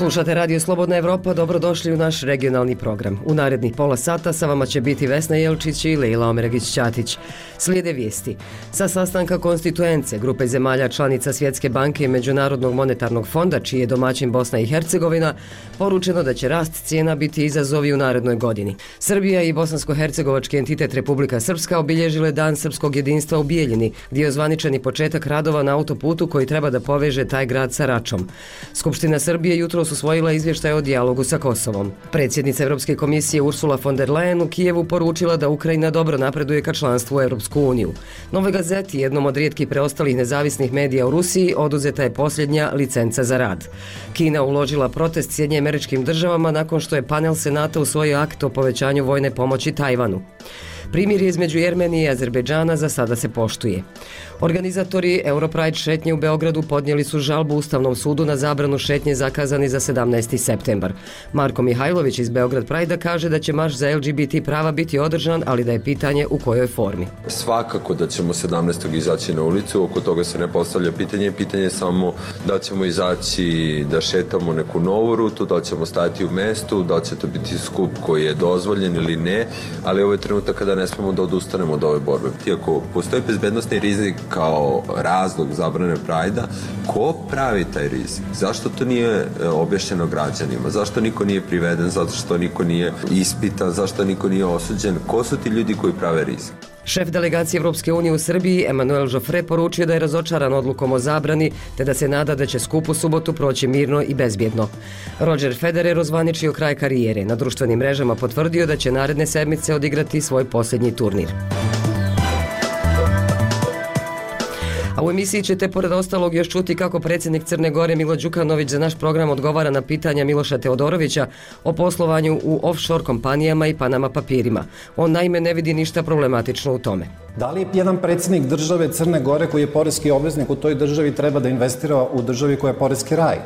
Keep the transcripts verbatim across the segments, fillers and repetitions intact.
Slušate Radio Slobodna Evropa, dobrodošli u naš regionalni program. U narednih pola sata sa vama će biti Vesna Jelčić i Lejla Omeragić-Ćatić. Slijede vijesti. Sa sastanka konstituence grupe zemalja članica Svjetske banke i Međunarodnog monetarnog fonda, čiji je domaćin Bosna i Hercegovina, poručeno da će rast cijena biti izazovi u narednoj godini. Srbija i bosansko-hercegovački entitet Republika Srpska obilježile Dan srpskog jedinstva u Bijeljini, gdje je ozvaničeni početak radova na autoputu koji treba da poveže taj grad sa Račom. Skupština Srbije jutro usvojila izvještaj o dijalogu sa Kosovom. Predsjednica Europske komisije Ursula von der Leyen u Kijevu poručila da Ukrajina dobro napreduje ka članstvu u Europsku uniju. Novoj Gazeti, jednom od rijetkih preostalih nezavisnih medija u Rusiji, oduzeta je posljednja licenca za rad. Kina uložila protest Sjedinjenim Američkim Državama nakon što je panel Senata usvojio akt o povećanju vojne pomoći Tajvanu. Primirje između Jermenije i Azerbejdžana za sada se poštuje. Organizatori Europride šetnje u Beogradu podnijeli su žalbu Ustavnom sudu na zabranu šetnje zakazani za sedamnaesti septembar. Marko Mihajlović iz Beograd Pride kaže da će marš za L G B T prava biti održan, ali da je pitanje u kojoj formi. Svakako da ćemo sedamnaestog izaći na ulicu, oko toga se ne postavlja pitanje, pitanje je samo da ćemo izaći da šetamo neku novu rutu, da ćemo stajati u mestu, da će to biti skup koji je dozvoljen ili ne, ali ovo je trenutak kada ne smemo da odustanemo od ove borbe. Iako postoji bezbednosni rizik kao razlog zabrane Prajda, ko pravi taj rizik? Zašto to nije objašnjeno građanima? Zašto niko nije priveden? Zato što niko nije ispitan? Zašto niko nije osuđen? Ko su ti ljudi koji prave rizik? Šef delegacije Evropske unije u Srbiji, Emanuel Joffre, poručio da je razočaran odlukom o zabrani, te da se nada da će skup u subotu proći mirno i bezbjedno. Roger Federer ozvaničio kraj karijere. Na društvenim mrežama potvrdio da će naredne sedmice odigrati svoj posljednji turnir. A u emisiji ćete pored ostalog još čuti kako predsjednik Crne Gore Milo Đukanović za naš program odgovara na pitanja Miloša Teodorovića o poslovanju u offshore kompanijama i Panama papirima. On naime ne vidi ništa problematično u tome. Da li jedan predsjednik države Crne Gore koji je poreski obveznik u toj državi treba da investira u državi koja je poreski raj? E,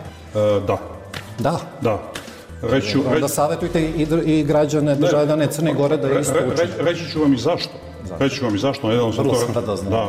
da. Da? Da. Reću, Onda reć... savjetujte i, i građane državljane Crne Gore da isto re, uče. Re, reći ću vam i zašto. zašto? Reći ću vam i zašto. Jedan Vrlo sam radozno. Da.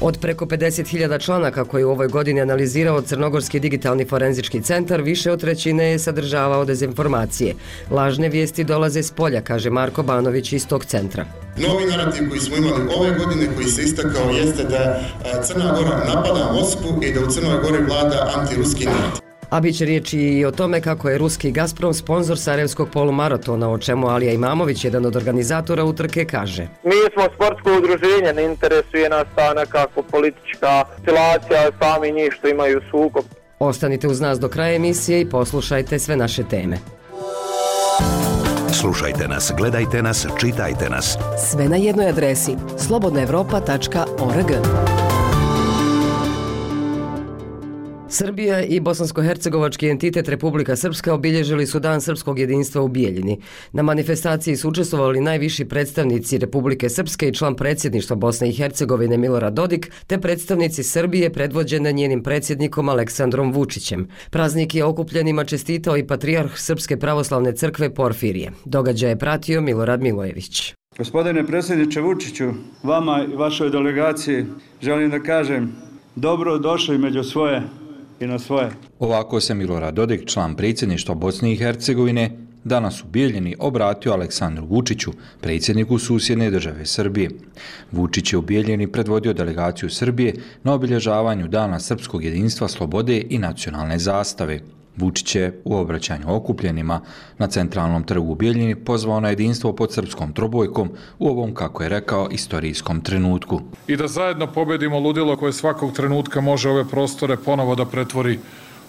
Od preko pedeset hiljada članaka koji u ovoj godini analizirao Crnogorski digitalni forenzički centar, više od trećine je sadržavao dezinformacije. Lažne vijesti dolaze s polja, kaže Marko Banović iz tog centra. Novi narativ koji smo imali ove godine, koji se istakao, jeste da Crna Gora napada Moskvu i da u Crnoj Gori vlada antiruski narativ. A bit će riječi i o tome kako je ruski Gazprom sponsor Sarajevskog polumaratona, o čemu Alija Imamović, jedan od organizatora utrke, kaže. Mi smo sportsko udruženje, ne interesuje nas ta nekako politička situacija, sami njih što imaju sukob. Ostanite uz nas do kraja emisije i poslušajte sve naše teme. Slušajte nas, gledajte nas, čitajte nas. Sve na jednoj adresi slobodna evropa tačka org. Srbija i bosansko-hercegovački entitet Republika Srpska obilježili su Dan srpskog jedinstva u Bijeljini. Na manifestaciji su učestvovali najviši predstavnici Republike Srpske i član predsjedništva Bosne i Hercegovine Milorad Dodik, te predstavnici Srbije predvođene njenim predsjednikom Aleksandrom Vučićem. Praznik je okupljenima čestitao i patrijarh Srpske pravoslavne crkve Porfirije. Događaj je pratio Milorad Milojević. Gospodine predsjedniče Vučiću, vama i vašoj delegaciji želim da kažem dobro došli među svoje i na svoje. Ovako se Milorad Dodik, član predsjedništva Bosne i Hercegovine, danas u Bijeljini obratio Aleksandru Vučiću, predsjedniku susjedne države Srbije. Vučić je u Bijeljini predvodio delegaciju Srbije na obilježavanju Dana srpskog jedinstva, slobode i nacionalne zastave. Vučić je u obraćanju okupljenima na centralnom trgu u Bijeljini pozvao na jedinstvo pod srpskom trobojkom u ovom, kako je rekao, istorijskom trenutku. I da zajedno pobedimo ludilo koje svakog trenutka može ove prostore ponovo da pretvori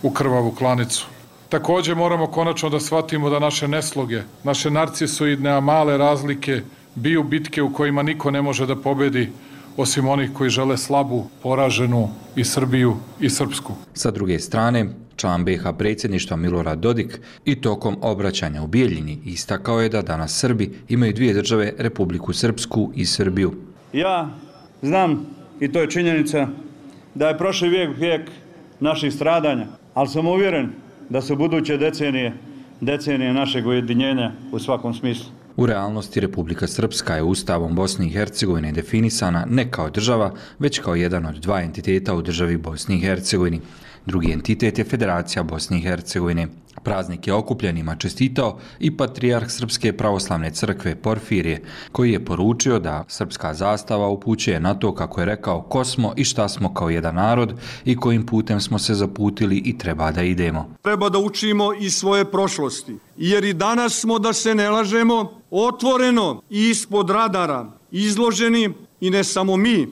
u krvavu klanicu. Također moramo konačno da shvatimo da naše nesloge, naše narcisoidne, a male razlike biju bitke u kojima niko ne može da pobedi, osim onih koji žele slabu, poraženu i Srbiju i Srpsku. Sa druge strane, član B H predsjedništva Milorad Dodik i tokom obraćanja u Bijeljini istakao je da danas Srbi imaju dvije države, Republiku Srpsku i Srbiju. Ja znam, i to je činjenica, da je prošli vijek vijek naših stradanja, ali sam uvjeren da su buduće decenije, decenije našeg ujedinjenja u svakom smislu. U realnosti Republika Srpska je Ustavom Bosne i Hercegovine definisana ne kao država, već kao jedan od dva entiteta u državi Bosni i Hercegovini. Drugi entitet je Federacija Bosne i Hercegovine. Praznik je okupljenima čestitao i patrijarh Srpske pravoslavne crkve Porfirije, koji je poručio da srpska zastava upućuje na to, kako je rekao, ko smo i šta smo kao jedan narod i kojim putem smo se zaputili i treba da idemo. Treba da učimo iz svoje prošlosti, jer i danas smo, da se ne lažemo, otvoreno i ispod radara izloženi, i ne samo mi,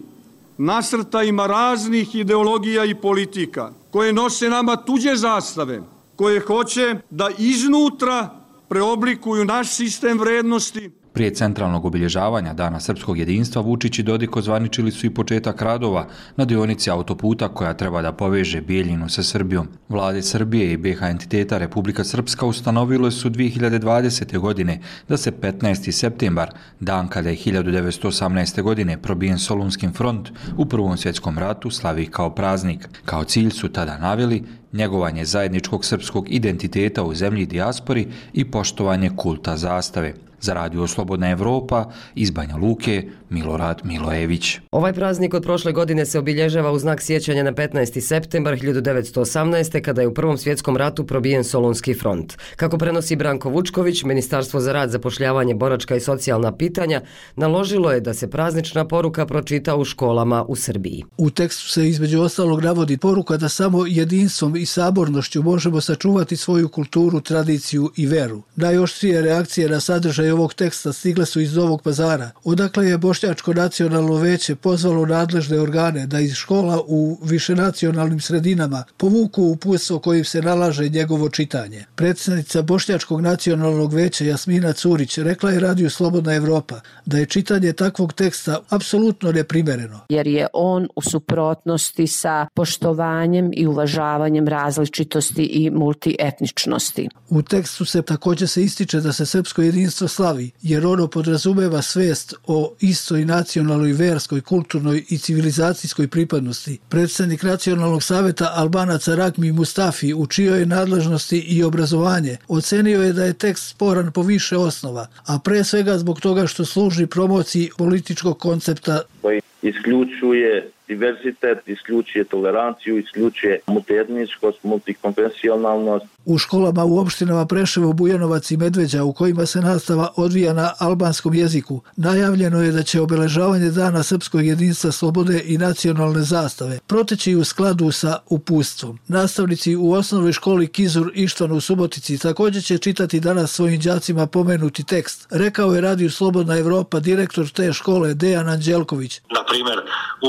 nasrtajima raznih ideologija i politika koje nose nama tuđe zastave, koje hoće da iznutra preoblikuju naš sistem vrednosti. Prije centralnog obilježavanja Dana srpskog jedinstva, Vučić i Dodik ozvaničili su i početak radova na dionici autoputa koja treba da poveže Bijeljinu sa Srbijom. Vlade Srbije i B H entiteta Republika Srpska ustanovile su dvije hiljade dvadesete. godine da se petnaesti septembar, dan kada je hiljadu devetsto osamnaeste. godine probijen Solunski front u Prvom svjetskom ratu, slavi kao praznik. Kao cilj su tada naveli njegovanje zajedničkog srpskog identiteta u zemlji i dijaspori i poštovanje kulta zastave. Za Radio Slobodna Evropa, iz Banja Luke, Milorad Milojević. Ovaj praznik od prošle godine se obilježava u znak sjećanja na petnaesti septembar hiljadu devetsto osamnaeste. kada je u Prvom svjetskom ratu probijen Solunski front. Kako prenosi Branko Vučković, Ministarstvo za rad, zapošljavanje, boračka i socijalna pitanja naložilo je da se praznična poruka pročita u školama u Srbiji. U tekstu se između ostalog navodi poruka da samo jedinstvom i sabornošću možemo sačuvati svoju kulturu, tradiciju i veru. Najoštrije reakcije na sadržaj ovog teksta stigle su iz Novog Pazara, odakle je Bošnjačko nacionalno veće pozvalo nadležne organe da iz škola u višenacionalnim sredinama povuku uputstvo kojim se nalaže njegovo čitanje. Predsjednica Bošnjačkog nacionalnog veća Jasmina Curić rekla je Radiju Slobodna Evropa da je čitanje takvog teksta apsolutno neprimereno. Jer je on u suprotnosti sa poštovanjem i uvažavanjem različitosti i multietničnosti. U tekstu se također se ističe da se srpsko jedinstvo slavi, jer ono podrazumeva svest o istoj nacionalnoj, verskoj, kulturnoj i civilizacijskoj pripadnosti. Predsjednik Nacionalnog saveta Albanaca Rakmi Mustafi, u čijoj nadležnosti i obrazovanje, ocenio je da je tekst sporan po više osnova, a pre svega zbog toga što služi promociji političkog koncepta koji isključuje diversitet, isključuje toleranciju, isključuje multietničkost, multikonfesionalnost. U školama u opštinama Preševo, Bujanovac i Medveđa, u kojima se nastava odvija na albanskom jeziku, najavljeno je da će obeležavanje Dana srpskog jedinstva, slobode i nacionalne zastave proteći u skladu sa uputstvom. Nastavnici u osnovnoj školi Kizur Ištvan u Subotici također će čitati danas svojim đacima pomenuti tekst, rekao je Radiju Slobodna Evropa direktor te škole Dejan Anđelković. Na primjer,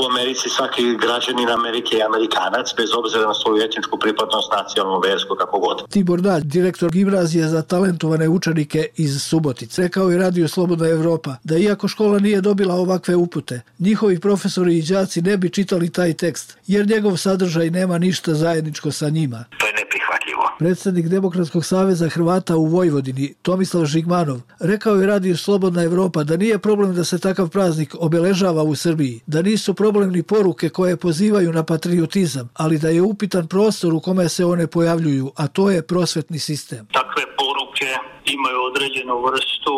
u Americi svaki građanin Amerike je Amerikanac, bez obzira na svoju etničku pripadnost, nacionalnu, versku, kako god. Tibor Dalj, direktor gimnazije za talentovane učenike iz Subotice, rekao je Radio Slobodna Evropa da iako škola nije dobila ovakve upute, njihovi profesori i đaci ne bi čitali taj tekst, jer njegov sadržaj nema ništa zajedničko sa njima. To je neprihvatljivo. Predsjednik Demokratskog saveza Hrvata u Vojvodini, Tomislav Žigmanov, rekao je Radio Slobodna Evropa da nije problem da se takav praznik obeležava u Srbiji, da nisu problem ni poruke koje pozivaju na patriotizam, ali da je upitan prostor u kome se one pojavljuju, a to je prosvetni sistem. Takve poruke imaju određenu vrstu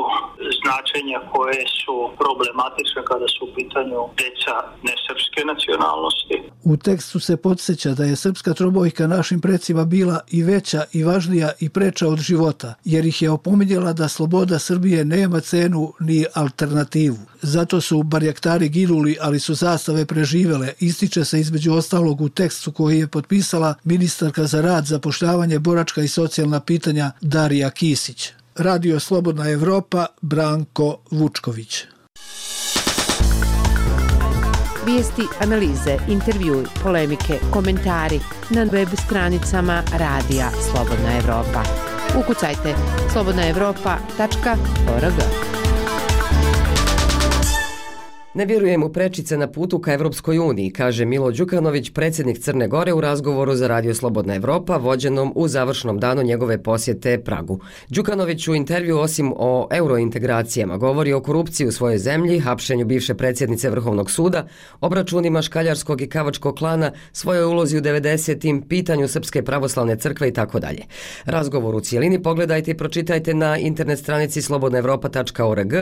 značenja koje su problematične kada su u pitanju deca nesrpske nacionalnosti. U tekstu se podsjeća da je srpska trobojka našim precima bila i veća i važnija i preča od života, jer ih je opominjala da sloboda Srbije nema cenu ni alternativu. Zato su barjaktari ginuli, ali su zastave preživele, ističe se između ostalog u tekstu koji je potpisala ministarka za rad, zapošljavanje, boračka i socijalna pitanja Darija Kisić. Radio Slobodna Evropa, Branko Vučković. Vijesti, analize, intervjui, polemike, komentari na web stranicama Radija Slobodna Evropa. Ukucajte slobodna evropa tačka org. Ne vjerujem u prečice na putu ka Evropskoj uniji, kaže Milo Đukanović, predsjednik Crne Gore u razgovoru za Radio Slobodna Evropa, vođenom u završnom danu njegove posjete Pragu. Đukanović u intervju osim o eurointegracijama govori o korupciji u svojoj zemlji, hapšenju bivše predsjednice Vrhovnog suda, obračunima škaljarskog i kavačkog klana, svojoj ulozi u devedesetim, pitanju Srpske pravoslavne crkve i tako dalje. Razgovor u cijelini pogledajte i pročitajte na internet stranici slobodna evropa tačka org,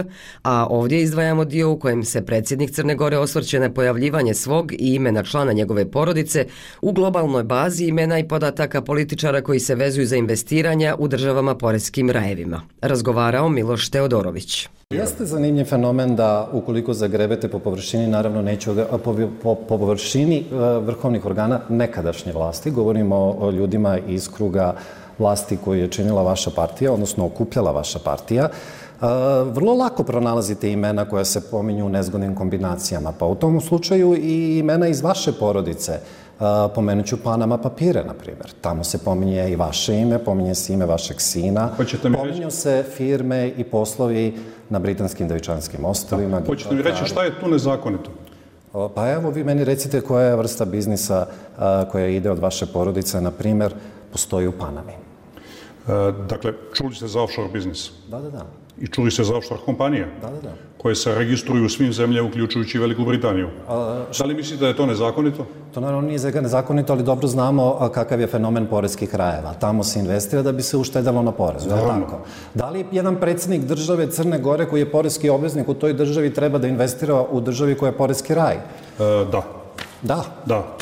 a ovdje izdvajamo dio u kojem se predsjednik predsjednik Crne Gore osvrće na pojavljivanje svog i imena člana njegove porodice u globalnoj bazi imena i podataka političara koji se vezuju za investiranja u državama poreskim rajevima. Razgovarao Miloš Teodorović. Jeste zanimljiv fenomen da ukoliko zagrebete po površini, naravno neću ga, po, po, po površini vrhovnih organa nekadašnje vlasti, govorimo o ljudima iz kruga vlasti koju je činila vaša partija, odnosno okupljala vaša partija, vrlo lako pronalazite imena koja se pominju u nezgodnim kombinacijama. Pa u tom slučaju i imena iz vaše porodice. Pomenut ću Panama papire, na primjer. Tamo se pominje i vaše ime, pominje se ime vašeg sina. Pominju se firme i poslovi na Britanskim Devičanskim ostrvima. Hoćete mi reći šta je tu nezakonito? Pa evo, vi meni recite koja je vrsta biznisa koja ide od vaše porodice, na primjer, postoji u Panami. Dakle, čuli ste za offshore biznis? Da, da, da. I čuli ste za offshore kompanije? Da, da, da. Koje se registruju u svim zemljama, uključujući Veliku Britaniju. Da li mislite da je to nezakonito? To naravno nije nezakonito, ali dobro znamo kakav je fenomen poreskih rajeva. Tamo se investira da bi se uštedalo na porezu. Tako. Da li jedan predsjednik države Crne Gore koji je poreski obveznik u toj državi treba da investira u državi koja je poreski raj? E, da. Da? Da.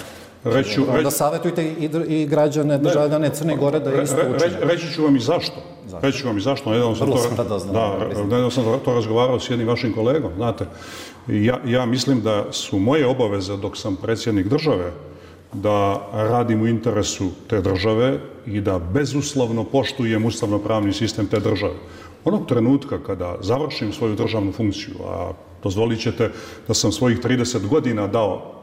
Reću, da reći, savjetujte i, i građane državljane Crne Gore da je isto učine. Reći ću vam i zašto. zašto? Reći ću vam i zašto. Nedavno sam, to, da, nedavno sam to razgovarao s jednim vašim kolegom. Znate, ja, ja mislim da su moje obaveze dok sam predsjednik države da radim u interesu te države i da bezuslovno poštujem ustavno-pravni sistem te države. Onog trenutka kada završim svoju državnu funkciju, a dozvolit ćete da sam svojih trideset godina dao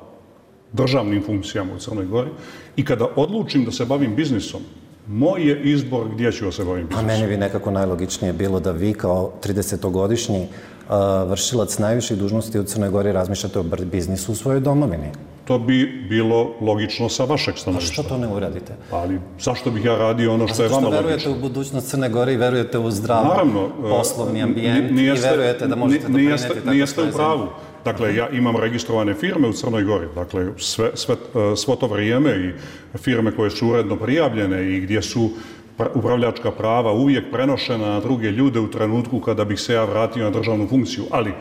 državnim funkcijama u Crnoj Gori i kada odlučim da se bavim biznisom, moj je izbor gdje ću da se bavim biznisom. A meni bi nekako najlogičnije bilo da vi kao tridesetogodišnji uh, vršilac najviših dužnosti u Crnoj Gori razmišljate o biznisu u svojoj domovini. To bi bilo logično sa vašeg stanovišta. A što to ne uradite? Ali zašto bih ja radio ono što je vama logično? Zašto verujete u budućnost Crne Gore i verujete u zdrav poslovni ambijent i verujete da možete doprinijeti tako što je nijeste u pravu. Dakle, ja imam registrovane firme u Crnoj Gori, dakle, sve, sve, svo to vrijeme i firme koje su uredno prijavljene i gdje su upravljačka prava uvijek prenošena na druge ljude u trenutku kada bih se ja vratio na državnu funkciju. Ali,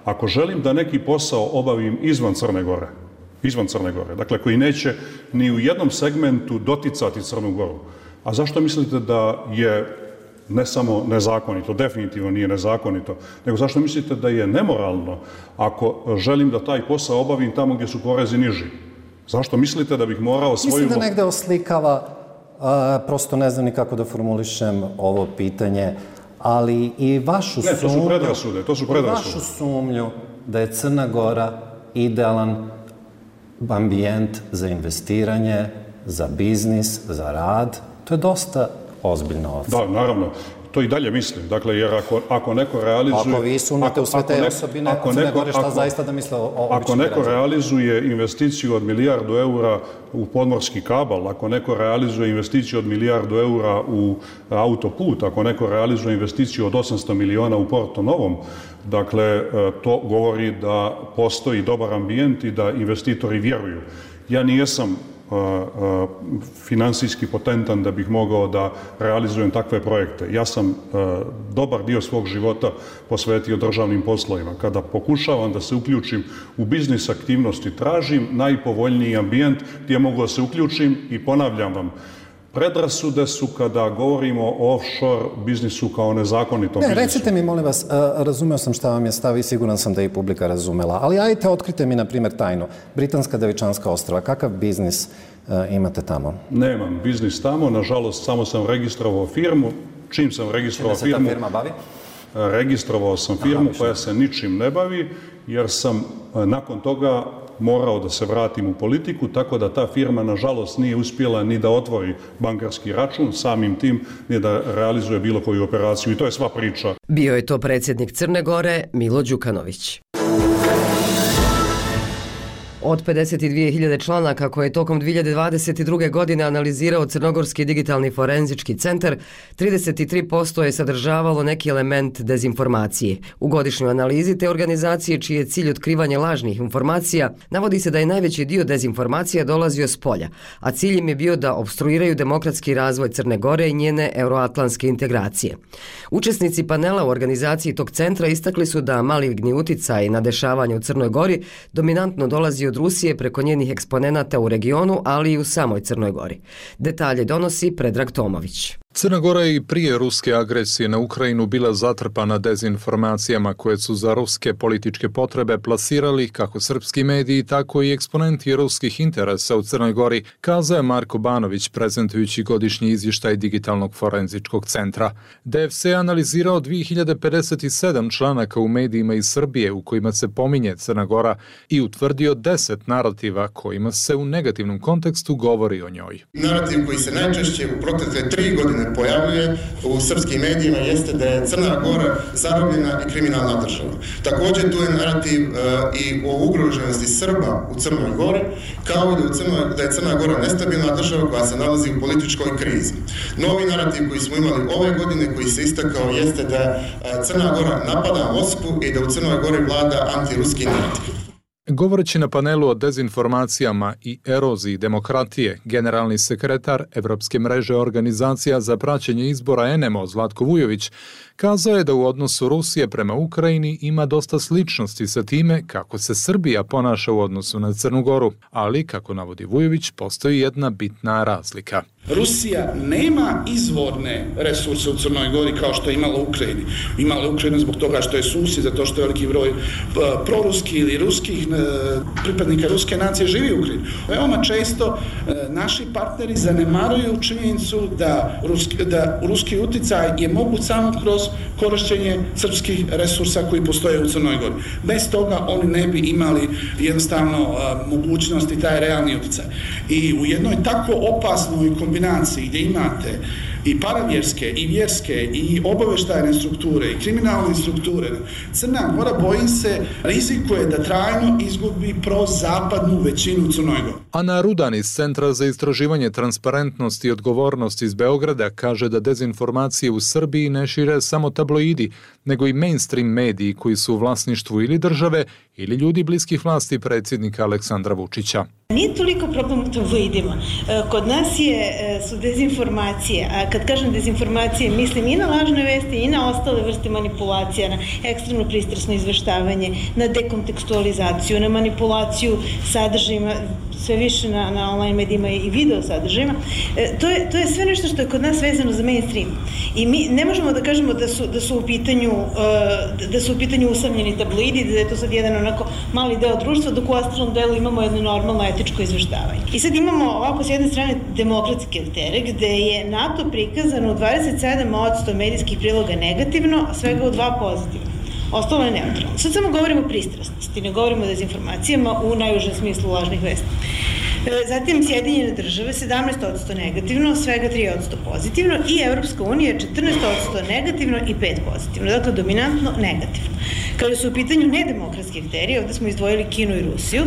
ako želim da neki posao obavim izvan Crne Gore, izvan Crne Gore, dakle, koji neće ni u jednom segmentu doticati Crnu Goru, a zašto mislite da je ne samo nezakonito, definitivno nije nezakonito, nego zašto mislite da je nemoralno ako želim da taj posao obavim tamo gdje su porezi niži? Zašto mislite da bih morao svoju... Mislim da negde oslikava, a, prosto ne znam ni kako da formulišem ovo pitanje, ali i vašu ne, sumnju... Ne, to su predrasude, to su predrasude. Vašu sumnju da je Crna Gora idealan ambijent za investiranje, za biznis, za rad, to je dosta ozbiljno ocena. Da, naravno. To i dalje mislim. Dakle, jer ako, ako neko realizuje... Ako vi sumnjate u sve te osobine, ako Crne Gore, šta zaista da misle o običnim Ako neko građanima? Realizuje investiciju od milijardu eura u podmorski kabal, ako neko realizuje investiciju od milijardu eura u autoput, ako neko realizuje investiciju od osamsto miliona u Porto Novom, dakle, to govori da postoji dobar ambijent i da investitori vjeruju. Ja nijesam finansijski potentan da bih mogao da realizujem takve projekte. Ja sam dobar dio svog života posvetio državnim poslovima. Kada pokušavam da se uključim u biznis aktivnosti, tražim najpovoljniji ambijent gdje mogu da se uključim i ponavljam vam, predrasude su kada govorimo o offshore biznisu kao nezakonitom ne, biznisu. Recite mi, molim vas, razumeo sam šta vam je stav i siguran sam da je i publika razumela, ali ajte, otkrite mi, na primjer, tajnu. Britanska Devičanska ostrva, kakav biznis uh, imate tamo? Nemam biznis tamo, nažalost, samo sam registrovao firmu. Čim sam registrovao firmu... Čime se ta firma bavi? Registrovao sam firmu koja se ničim ne bavi, jer sam nakon toga morao da se vratim u politiku, tako da ta firma, nažalost, nije uspjela ni da otvori bankarski račun, samim tim ni da realizuje bilo koju operaciju. I to je sva priča. Bio je to predsjednik Crne Gore, Milo Đukanović. Od pedeset dvije hiljade članaka koje je tokom dvije hiljade dvadeset druge. godine analizirao Crnogorski digitalni forenzički centar, trideset tri posto je sadržavalo neki element dezinformacije. U godišnjoj analizi te organizacije, čiji je cilj otkrivanje lažnih informacija, navodi se da je najveći dio dezinformacija dolazio s polja, a cilj im je bio da opstruiraju demokratski razvoj Crne Gore i njene euroatlantske integracije. Učesnici panela u organizaciji tog centra istakli su da maligni uticaj na dešavanje u Crnoj Gori dominantno dolazi od Rusije preko njenih eksponenata u regionu, ali i u samoj Crnoj Gori. Detalje donosi Predrag Tomović. Crna Gora je i prije ruske agresije na Ukrajinu bila zatrpana dezinformacijama koje su za ruske političke potrebe plasirali kako srpski mediji, tako i eksponenti ruskih interesa u Crnoj Gori, kazao je Marko Banović prezentujući godišnji izvještaj Digitalnog forenzičkog centra. D F C je analizirao dvije hiljade pedeset sedam članaka u medijima iz Srbije u kojima se pominje Crna Gora i utvrdio deset narativa kojima se u negativnom kontekstu govori o njoj. Narativ koji se najčešće u protekle tri godine pojavljuje u srpskim medijima jeste da je Crna Gora zarobljena i kriminalna država. Također tu je narativ uh, i o ugroženosti Srba u Crnoj Gori, kao i da, u Crnoj, da je Crna Gora nestabilna država koja se nalazi u političkoj krizi. Novi narativ koji smo imali ove godine, koji se istakao, jeste da uh, Crna Gora napada Moskvu i da u Crnoj Gori vlada antiruski narativ. Govoreći na panelu o dezinformacijama i eroziji demokratije, generalni sekretar Evropske mreže organizacija za praćenje izbora N M O Zlatko Vujović kazao je da u odnosu Rusije prema Ukrajini ima dosta sličnosti sa time kako se Srbija ponaša u odnosu na Crnu Goru, ali, kako navodi Vujović, postoji jedna bitna razlika. Rusija nema izvorne resurse u Crnoj Gori kao što je imala u Ukrajini. Imala je Ukrajinu zbog toga što je susjed, zato što je veliki broj proruski ili ruskih pripadnika ruske nacije živi u Ukrajini. Veoma često naši partneri zanemaruju činjenicu da ruski, da ruski uticaj je moguć samo kroz korišćenje srpskih resursa koji postoje u Crnoj Gori. Bez toga oni ne bi imali jednostavno mogućnosti taj realni uticaj. I u jednoj tako opasnoj kombinaciji gdje imate i paravjerske, i vjerske, i obaveštajne strukture, i kriminalne strukture, Crna Gora, bojim se, rizikuje da trajno izgubi prozapadnu većinu u Crnoj Gori. Ana Rudan iz Centra za istraživanje transparentnosti i odgovornosti iz Beograda kaže da dezinformacije u Srbiji ne šire samo tabloidi, nego i mainstream mediji koji su u vlasništvu ili države ili ljudi bliskih vlasti predsjednika Aleksandra Vučića. Nije toliko problem u tabloidima. Kod nas je, su dezinformacije, a kad kažem dezinformacije, mislim i na lažne vesti i na ostale vrste manipulacija, na ekstremno pristrasno izveštavanje, na dekontekstualizaciju, na manipulaciju sadržajima, sve više na, na online medijima i video sadržajima. E, to, je, to je sve nešto što je kod nas vezano za mainstream. I mi ne možemo da kažemo da su, da su u pitanju, uh, da su u pitanju usamljeni tabloidi, da je to sad jedan onako mali deo društva, dok u ostalom delu imamo jedno normalno etičko izveštavanje. I sad imamo ovako s jedne strane demokratske aktere, gde je NATO prikazano u dvadeset sedam posto medijskih priloga negativno, a svega u dva pozitivno. Ostalo je neutralno. Sad samo govorimo o pristrasnosti, ne govorimo o dezinformacijama u najužem smislu lažnih vesti. Zatim Sjedinjene države sedamnaest posto negativno, svega tri posto pozitivno i Evropska unija četrnaest posto negativno i pet posto pozitivno. Dakle, dominantno negativno. Kada su u pitanju nedemokratski akteri, ovdje smo izdvojili Kinu i Rusiju,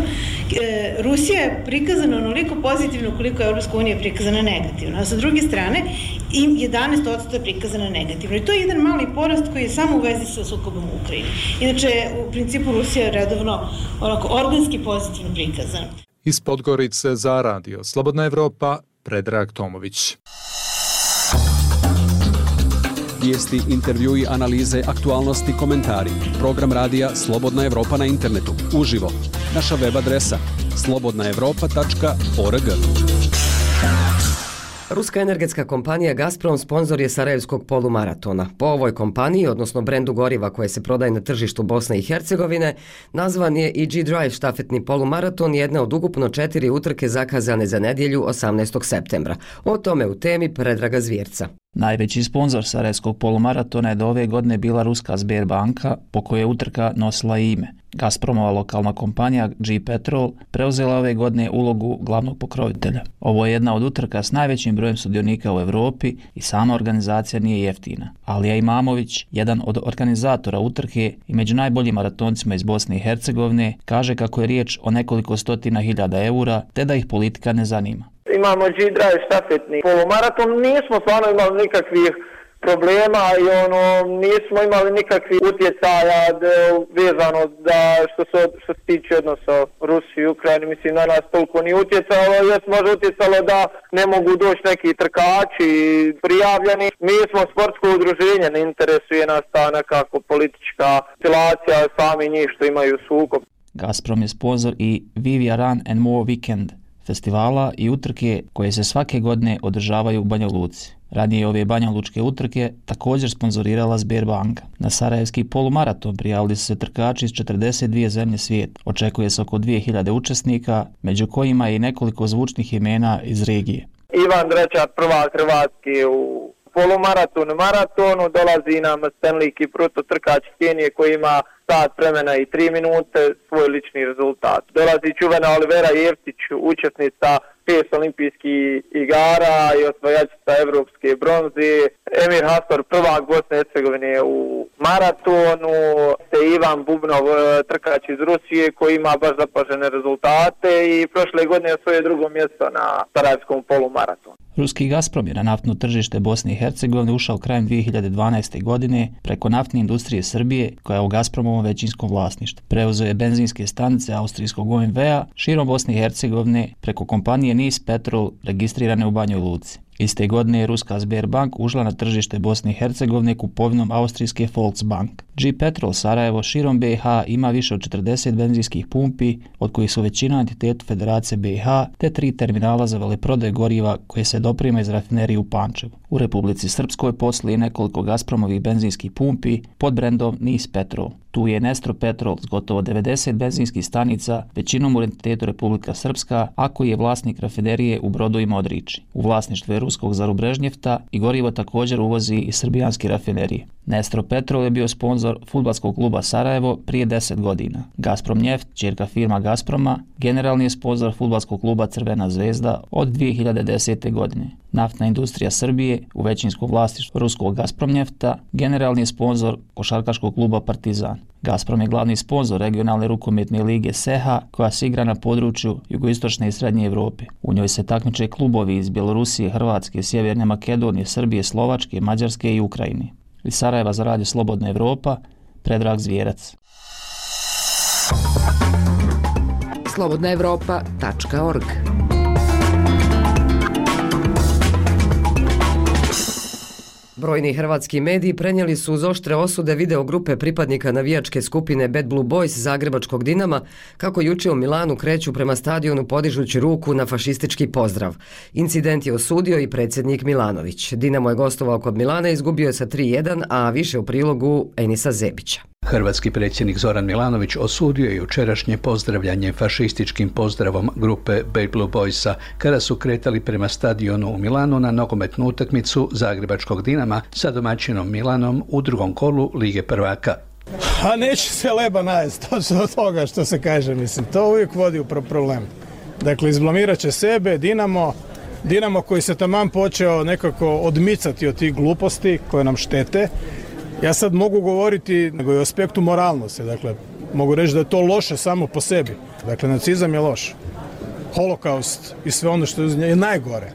Rusija je prikazana onoliko pozitivno koliko je Evropska unija prikazana negativno, a sa druge strane i jedanaest posto je prikazana negativno. I to je jedan mali porast koji je samo u vezi sa sukobom u Ukrajini. Inače, u principu Rusija je redovno onako organski pozitivno prikazana. Iz Podgorice za radio Slobodna Evropa, Predrag Tomović. Vijesti, intervjui, analize, aktualnosti, komentari. Program radija Slobodna Evropa na internetu. Uživo. Naša web adresa slobodna evropa tačka org. Ruska energetska kompanija Gazprom sponzor je Sarajevskog polumaratona. Po ovoj kompaniji, odnosno brendu goriva koje se prodaje na tržištu Bosne i Hercegovine, nazvan je i G Drive štafetni polumaraton, jedna od ukupno četiri utrke zakazane za nedjelju osamnaestog septembra. O tome u temi Predraga Zvjerca. Najveći sponzor sarajevskog polumaratona je do ove godine bila ruska Sberbanka, po kojoj je utrka nosila ime. Gazpromova lokalna kompanija G-Petrol preuzela ove godine ulogu glavnog pokrovitelja. Ovo je jedna od utrka s najvećim brojem sudionika u Evropi i sama organizacija nije jeftina. Alija Imamović, jedan od organizatora utrke i među najboljim maratoncima iz Bosne i Hercegovine, kaže kako je riječ o nekoliko stotina hiljada eura, te da ih politika ne zanima. Imamo G-Drive štafetni polumaraton, nismo stvarno imali nikakvih problema i ono, nismo imali nikakvih utjecaja vezano da što se, što se tiče odnosa Rusiji i Ukrajini, mislim na nas toliko nije utjecalo, jes može utjecalo da ne mogu doći neki trkači prijavljeni. Mi smo sportsko udruženje, ne interesuje nas ta nekako politička situacija, sami njih što imaju sukob. Gazprom je sponzor i Vivia Run and More Weekend, festivala i utrke koje se svake godine održavaju u Banja Luci. Ranije ove banjalučke utrke također sponzorirala Sberbanka. Na sarajevski polumaraton prijavili su se trkači iz četrdeset dvije zemlje svijeta. Očekuje se oko dvije hiljade učesnika, među kojima je i nekoliko zvučnih imena iz regije. Ivan Drečar, prvak Hrvatske u polumaratonu, maratonu, dolazi nam Stanley Kipruto, trkač Kenije koji ima sat vremena i tri minute, svoj lični rezultat. Dolazi čuvena Olivera Jevtić, učesnica pet olimpijskih igara i osvajačica evropske bronze. Emir Hastor, prvak Bosne i Hercegovine u maratonu, te Ivan Bubnov, trkač iz Rusije koji ima baš zapažene rezultate i prošle godine osvojio drugo mjesto na sarajevskom polumaratonu. Ruski Gazprom je na naftno tržište Bosne i Hercegovine ušao krajem dvije hiljade dvanaeste. godine preko naftne industrije Srbije, koja je u Gazpromovom većinskom vlasništvu. Preuzeo je benzinske stanice austrijskog O M V-a širom Bosne i Hercegovine preko kompanije Nis Petrol registrirane u Banjoj Luci. Iste godine je ruska Sberbank ušla na tržište Bosne i Hercegovine kupovinom austrijske Volksbank. G-Petrol Sarajevo širom B i H ima više od četrdeset benzinskih pumpi, od kojih su većina entiteta Federacije B i H, te tri terminala za veleprodaju goriva koje se doprima iz rafinerije u Pančevu. U Republici Srpskoj posluje nekoliko Gazpromovih benzinskih pumpi pod brendom Nis Petrol. Tu je Nestro Petrol s gotovo devedeset benzinskih stanica, većinom u entitetu Republika Srpska, a koji je vlasnik rafinerije u Brodu i Modriči. U vlasništvu je ruskog Zarubrežnjefta i gorivo također uvozi iz srbijanske rafinerije. Nestro Petrol je bio sponzor fudbalskog kluba Sarajevo prije deset godina. Gazprom Njeft, ćerka firma Gazproma, generalni je sponzor fudbalskog kluba Crvena zvezda od dvije hiljade desete. godine. Naftna industrija Srbije u većinskom vlasništvu ruskog Gazprom Njefta, generalni je sponzor košarkaškog kluba Partizan. Gazprom je glavni sponzor regionalne rukometne lige S E H A, koja se igra na području jugoistočne i srednje Evrope. U njoj se takmiče klubovi iz Bjelorusije, Hrvatske, Sjeverne Makedonije, Srbije, Slovačke, Mađarske i Ukrajine. Iz Sarajeva za radio Slobodna Evropa, Predrag Zvijerac. slobodna evropa tačka org. Brojni hrvatski mediji prenijeli su uz oštre osude video grupe pripadnika navijačke skupine Bad Blue Boys zagrebačkog Dinama kako juče u Milanu kreću prema stadionu podižući ruku na fašistički pozdrav. Incident je osudio i predsjednik Milanović. Dinamo je gostovao kod Milana i izgubio je sa tri jedan, a više u prilogu Enisa Zebića. Hrvatski predsjednik Zoran Milanović osudio je jučerašnje pozdravljanje fašističkim pozdravom grupe Bad Blue Boysa kada su kretali prema stadionu u Milanu na nogometnu utakmicu zagrebačkog Dinama sa domaćinom Milanom u drugom kolu Lige prvaka. A neće se leba najest, to se od toga što se kaže, mislim, to uvijek vodi u problem. Dakle, izblamirat će sebe, Dinamo, Dinamo koji se taman počeo nekako odmicati od tih gluposti koje nam štete. Ja sad mogu govoriti nego i o aspektu moralnosti, dakle, mogu reći da je to loše samo po sebi. Dakle, nacizam je loš. Holokaust i sve ono što je najgore.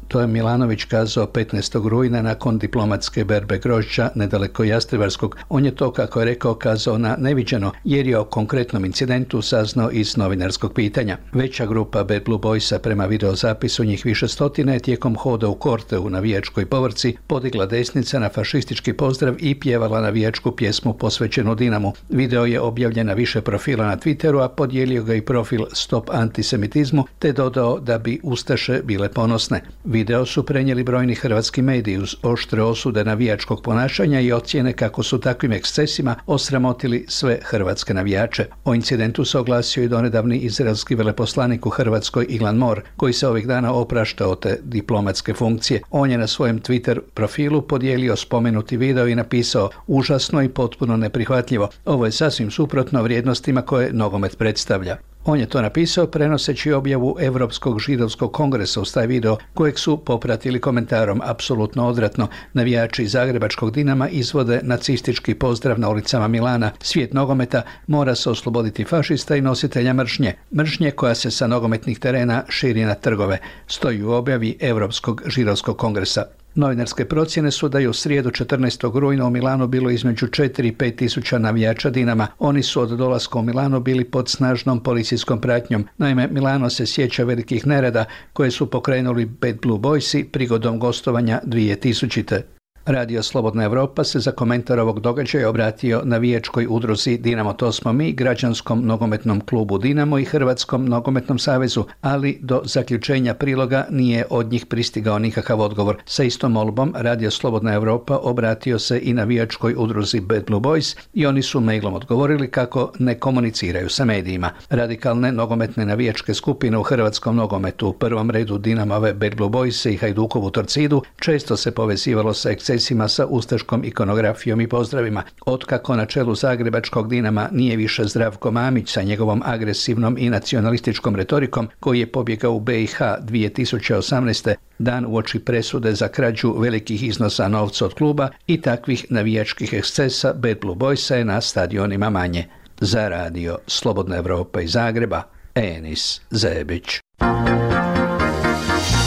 To je Milanović kazao petnaestog rujna nakon diplomatske berbe grožđa nedaleko Jastrebarskog. On je to, kako je rekao, kazao na neviđeno, jer je o konkretnom incidentu saznao iz novinarskog pitanja. Veća grupa Bad Blue Boysa prema videozapisu njih više stotine tijekom hoda u korte u navijačkoj povrci podigla desnica na fašistički pozdrav i pjevala navijačku pjesmu posvećenu Dinamu. Video je objavljen na više profila na Twitteru, a podijelio ga i profil Stop antisemitizmu, te dodao da bi ustaše bile ponosne. Video Video su prenijeli brojni hrvatski mediji uz oštre osude navijačkog ponašanja i ocjene kako su takvim ekscesima osramotili sve hrvatske navijače. O incidentu se oglasio i donedavni izraelski veleposlanik u Hrvatskoj Ilan Mor, koji se ovih dana opraštao te diplomatske funkcije. On je na svojem Twitter profilu podijelio spomenuti video i napisao: užasno i potpuno neprihvatljivo. Ovo je sasvim suprotno vrijednostima koje nogomet predstavlja. On je to napisao prenoseći objavu Europskog židovskog kongresa uz taj video, kojeg su popratili komentarom: apsolutno odvratno, navijači zagrebačkog Dinama izvode nacistički pozdrav na ulicama Milana. Svijet nogometa mora se osloboditi fašista i nositelja mržnje. Mržnje koja se sa nogometnih terena širi na trgove. Stoji u objavi Europskog židovskog kongresa. Novinarske procjene su da je u srijedu četrnaestog rujna u Milanu bilo između četiri i pet tisuća navijača Dinama. Oni su od dolaska u Milano bili pod snažnom policijskom pratnjom. Naime, Milano se sjeća velikih nereda koje su pokrenuli Bad Blue Boysi prigodom gostovanja dvije tisućite. Radio Slobodna Evropa se za komentar ovog događaja obratio navijačkoj udruzi Dinamo to smo mi, građanskom nogometnom klubu Dinamo i Hrvatskom nogometnom savezu, ali do zaključenja priloga nije od njih pristigao nikakav odgovor. Sa istom molbom Radio Slobodna Evropa obratio se i navijačkoj udruzi Bad Blue Boys i oni su mailom odgovorili kako ne komuniciraju sa medijima. Radikalne nogometne navijačke skupine u hrvatskom nogometu, u prvom redu Dinamove Bad Blue Boys i Hajdukovu Torcidu, često se povezivalo sa ekscesima sa ustaškom ikonografijom i pozdravima. Otkako na čelu zagrebačkog Dinama nije više Zdravko Mamić sa njegovom agresivnom i nacionalističkom retorikom, koji je pobjegao u be i ha dvije tisuće osamnaeste. dan uoči presude za krađu velikih iznosa novca od kluba i takvih navijačkih ekscesa, Bad Blue Boysa je na stadionima manje. Za radio Slobodna Evropa iz Zagreba, Enis Zebić.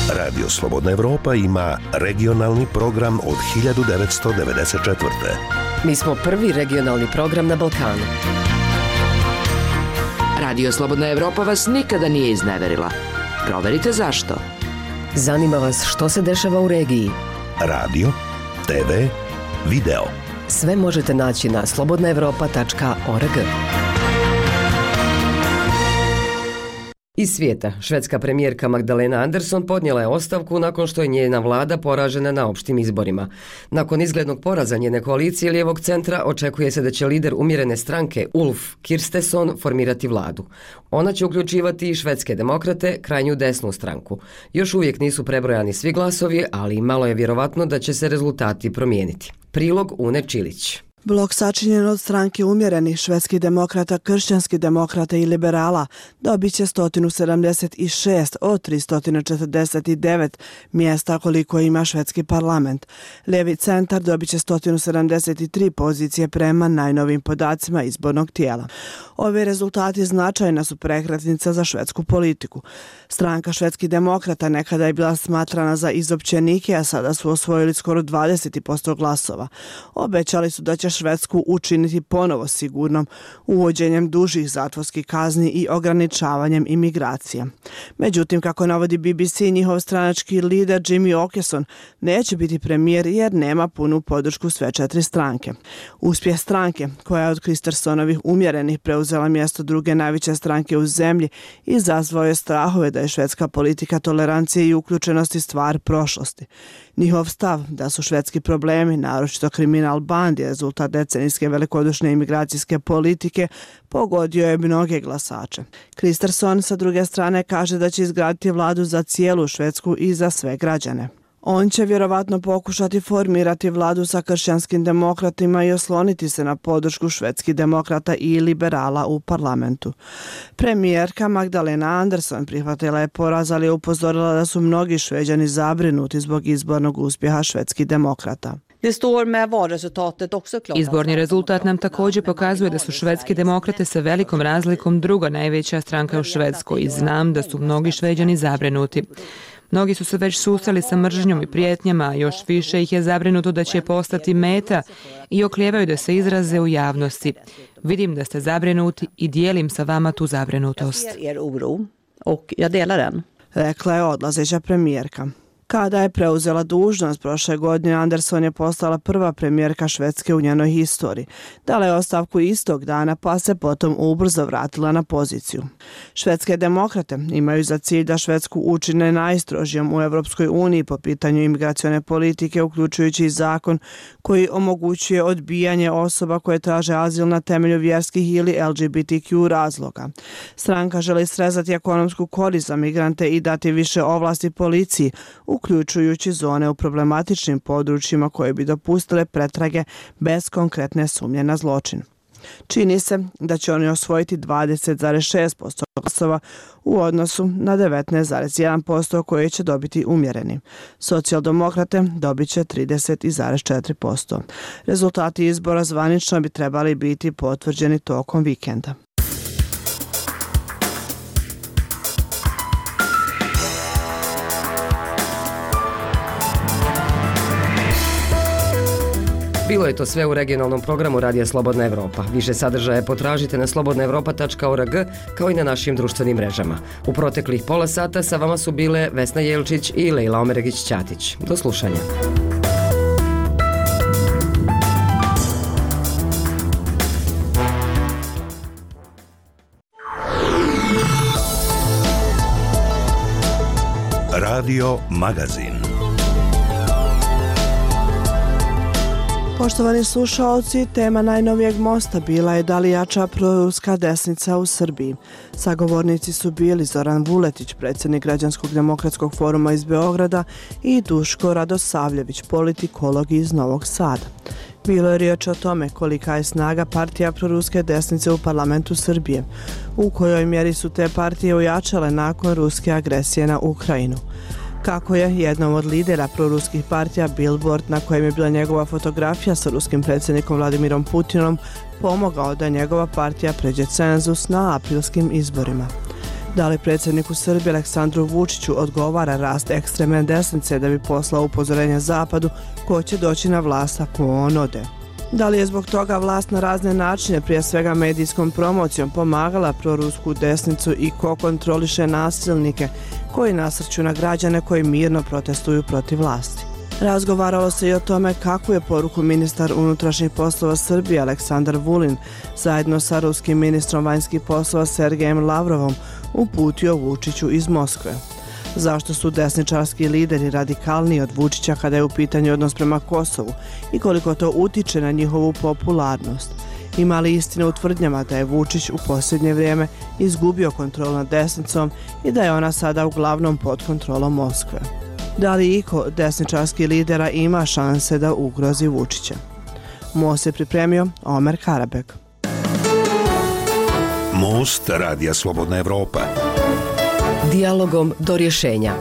Radio Slobodna Evropa ima regionalni program od hiljadu devetsto devedeset četvrte. Mi smo prvi regionalni program na Balkanu. Radio Slobodna Evropa vas nikada nije izneverila. Proverite zašto. Zanima vas što se dešava u regiji. Radio, te ve, video. Sve možete naći na slobodna evropa tačka org. Iz svijeta, švedska premijerka Magdalena Andersson podnijela je ostavku nakon što je njena vlada poražena na opštim izborima. Nakon izglednog poraza njene koalicije lijevog centra očekuje se da će lider umjerene stranke Ulf Kristersson formirati vladu. Ona će uključivati i švedske demokrate, krajnju desnu stranku. Još uvijek nisu prebrojani svi glasovi, ali malo je vjerovatno da će se rezultati promijeniti. Prilog Une Čilić. Blok sačinjen od stranke umjerenih švedskih demokrata, kršćanskih demokrata i liberala dobit će sto sedamdeset šest od tristo četrdeset devet mjesta koliko ima švedski parlament. Lijevi centar dobit će sto sedamdeset tri pozicije prema najnovim podacima izbornog tijela. Ovi rezultati značajna su prekretnica za švedsku politiku. Stranka švedskih demokrata nekada je bila smatrana za izopćenike, a sada su osvojili skoro dvadeset posto glasova. Obećali su da će Švedsku učiniti ponovo sigurnom uvođenjem dužih zatvorskih kazni i ograničavanjem imigracija. Međutim, kako navodi be be ce, njihov stranački lider Jimmy Åkesson neće biti premijer jer nema punu podršku sve četiri stranke. Uspjeh stranke, koja je od Kristerssonovih umjerenih preuzela mjesto druge najveće stranke u zemlji, izazvao je strahove da je švedska politika tolerancije i uključenosti stvar prošlosti. Njihov stav da su švedski problemi, naročito kriminal bandi, rezultat decenijske velikodušne imigracijske politike, pogodio je mnoge glasače. Kristersson sa druge strane kaže da će izgraditi vladu za cijelu Švedsku i za sve građane. On će vjerovatno pokušati formirati vladu sa kršćanskim demokratima i osloniti se na podršku švedskih demokrata i liberala u parlamentu. Premijerka Magdalena Andersson prihvatila je poraz, ali je upozorila da su mnogi Šveđani zabrinuti zbog izbornog uspjeha švedskih demokrata. Izborni rezultat nam također pokazuje da su švedski demokrate sa velikom razlikom druga najveća stranka u Švedskoj i znam da su mnogi Šveđani zabrinuti. Mnogi su se već susreli sa mržnjom i prijetnjama, a još više ih je zabrinuto da će postati meta i oklijevaju da se izraze u javnosti. Vidim da ste zabrinuti i dijelim sa vama tu zabrinutost. Rekla je odlazeća premijerka. Kada je preuzela dužnost prošle godine, Andersson je postala prva premijerka Švedske u njenoj historiji. Dala je ostavku istog dana, pa se potom ubrzo vratila na poziciju. Švedske demokrate imaju za cilj da Švedsku učine najstrožijom u Evropskoj uniji po pitanju imigracione politike, uključujući i zakon koji omogućuje odbijanje osoba koje traže azil na temelju vjerskih ili L G B T Q razloga. Stranka želi srezati ekonomsku korist za migrante i dati više ovlasti policiji, uključujući zone u problematičnim područjima koje bi dopustile pretrage bez konkretne sumnje na zločin. Čini se da će oni osvojiti dvadeset zarez šest posto glasova u odnosu na devetnaest zarez jedan posto koje će dobiti umjereni. Socijaldemokrate dobit će trideset zarez četiri posto. Rezultati izbora zvanično bi trebali biti potvrđeni tokom vikenda. Bilo je to sve u regionalnom programu Radija Slobodna Evropa. Više sadržaja potražite na slobodna evropa tačka org kao i na našim društvenim mrežama. U proteklih pola sata sa vama su bile Vesna Jelčić i Lejla Omeregić-Ćatić. Do slušanja. Radio Magazin. Poštovani slušaoci, tema najnovijeg mosta bila je da li jača proruska desnica u Srbiji. Sagovornici su bili Zoran Vuletić, predsjednik Građanskog demokratskog foruma iz Beograda, i Duško Radosavljević, politikolog iz Novog Sada. Bilo je riječ o tome kolika je snaga partija proruske desnice u parlamentu Srbije, u kojoj mjeri su te partije ojačale nakon ruske agresije na Ukrajinu. Kako je jednom od lidera proruskih partija Billboard, na kojem je bila njegova fotografija sa ruskim predsjednikom Vladimirom Putinom, pomogao da njegova partija pređe cenzus na aprilskim izborima. Da li predsjedniku Srbije Aleksandru Vučiću odgovara rast ekstremne desnice da bi poslao upozorenje Zapadu ko će doći na vlast ako on ode? Da li je zbog toga vlast na razne načine, prije svega medijskom promocijom, pomagala prorusku desnicu i ko kontroliše nasilnike koji nasrću na građane koji mirno protestuju protiv vlasti? Razgovaralo se i o tome kako je poruku ministar unutrašnjih poslova Srbije Aleksandar Vulin zajedno sa ruskim ministrom vanjskih poslova Sergejem Lavrovom uputio Vučiću iz Moskve. Zašto su desničarski lideri radikalniji od Vučića kada je u pitanju odnos prema Kosovu i koliko to utiče na njihovu popularnost? Ima li istine u tvrdnjama da je Vučić u posljednje vrijeme izgubio kontrolu nad desnicom i da je ona sada uglavnom pod kontrolom Moskve? Da li iko desničarski lidera ima šanse da ugrozi Vučića? Most je pripremio Omer Karabek. Most Radija Slobodna Evropa. Dijalogom do rješenja.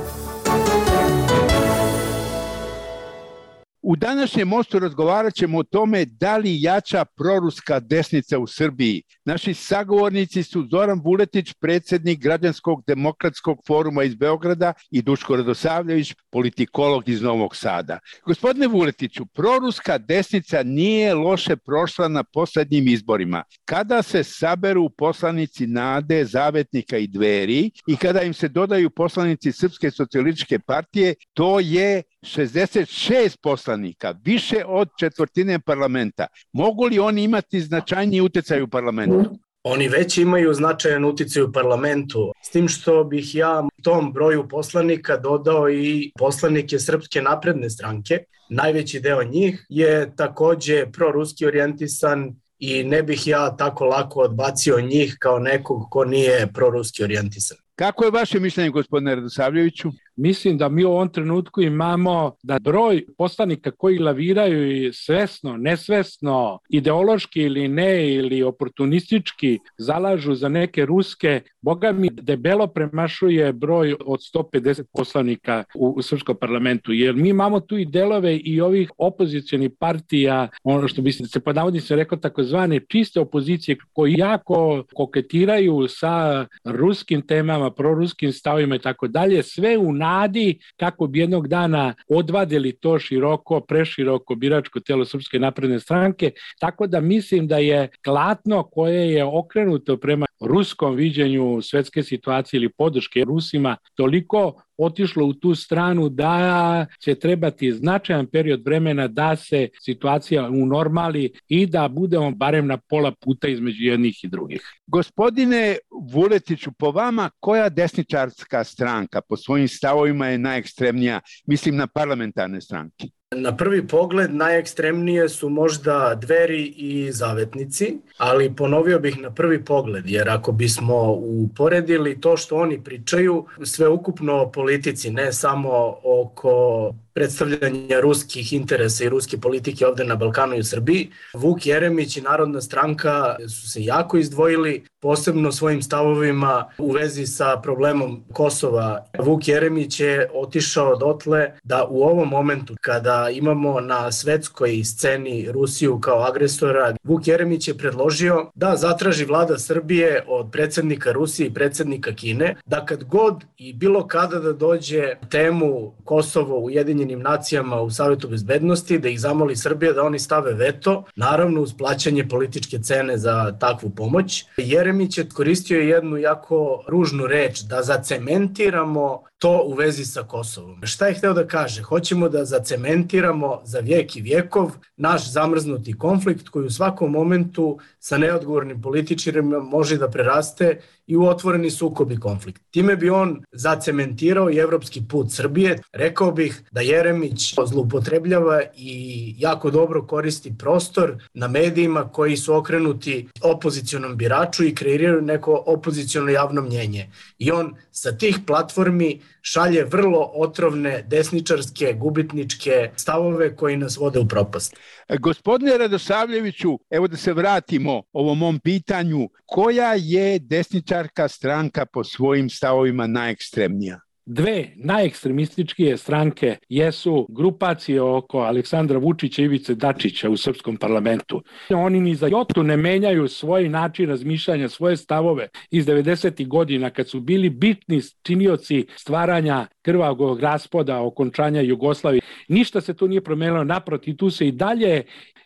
U današnjem mostu razgovarat ćemo o tome da li jača proruska desnica u Srbiji. Naši sagovornici su Zoran Vuletić, predsjednik Građanskog demokratskog foruma iz Beograda, i Duško Radosavljević, politikolog iz Novog Sada. Gospodine Vuletiću, proruska desnica nije loše prošla na posljednjim izborima. Kada se saberu poslanici Nade, Zavetnika i Dveri i kada im se dodaju poslanici Srpske socijalističke partije, to je šezdeset šest poslanika, više od četvrtine parlamenta. Mogu li oni imati značajniji utjecaj u parlamentu? Oni već imaju značajan utjecaj u parlamentu, s tim što bih ja tom broju poslanika dodao i poslanike Srpske napredne stranke. Najveći deo njih je također proruski orijentisan i ne bih ja tako lako odbacio njih kao nekog ko nije proruski orijentisan. Kako je vaše mišljenje, gospodine Radosavljeviću? Mislim da mi u ovom trenutku imamo da broj poslanika koji laviraju svesno, nesvesno, ideološki ili ne, ili oportunistički zalažu za neke ruske, boga mi debelo premašuje broj od sto pedeset poslanika u, u srpskom parlamentu, jer mi imamo tu i delove i ovih opozicionih partija, ono što bi se pod navodnicima rekao takozvane čiste opozicije, koji jako koketiraju sa ruskim temama, proruskim stavima i tako dalje, sve u nadi kako bi jednog dana odvadili to široko, preširoko biračko telo Srpske napredne stranke, tako da mislim da je klatno koje je okrenuto prema ruskom viđenju svetske situacije ili podrške Rusima toliko otišlo u tu stranu da će trebati značajan period vremena da se situacija unormali i da budemo barem na pola puta između jednih i drugih. Gospodine Vuletiću, po vama koja desničarska stranka po svojim stavovima je najekstremnija, mislim na parlamentarne stranke? Na prvi pogled najekstremnije su možda Dveri i Zavetnici, ali ponovio bih na prvi pogled, jer ako bismo uporedili to što oni pričaju, sve ukupno o politici, ne samo oko predstavljanja ruskih interesa i ruske politike ovde na Balkanu i u Srbiji, Vuk Jeremić i Narodna stranka su se jako izdvojili, posebno svojim stavovima u vezi sa problemom Kosova. Vuk Jeremić je otišao dotle da u ovom momentu kada imamo na svetskoj sceni Rusiju kao agresora, Vuk Jeremić je predložio da zatraži vlada Srbije od predsednika Rusije i predsednika Kine da kad god i bilo kada da dođe temu Kosovo u Ujedinjenim nacijama u Savetu bezbednosti, da ih zamoli Srbija da oni stave veto, naravno uz plaćanje političke cene za takvu pomoć. Jeremić je koristio jednu jako ružnu reč, da zacementiramo to u vezi sa Kosovom. Šta je hteo da kaže? Hoćemo da zacementiramo za vijek i vjekov naš zamrznuti konflikt koji u svakom momentu sa neodgovornim političarima može da preraste i u otvoreni sukob i konflikt. Time bi on zacementirao i evropski put Srbije. Rekao bih da Jeremić zloupotrebljava i jako dobro koristi prostor na medijima koji su okrenuti opozicionom biraču i kreiraju neko opoziciono javno mnjenje. I on sa tih platformi šalje vrlo otrovne desničarske, gubitničke stavove koji nas vode u propast. Gospodine Radosavljeviću, evo da se vratimo ovom mom pitanju, koja je desničarka stranka po svojim stavovima najekstremnija? Dve najekstremističkije stranke jesu grupacije oko Aleksandra Vučića i Ivice Dačića u srpskom parlamentu. Oni ni za jotu ne menjaju svoj način razmišljanja, svoje stavove iz devedesetih godina kad su bili bitni činioci stvaranja krvavog raspada, okončanja Jugoslavije. Ništa se tu nije promenilo, naprotiv, tu se i dalje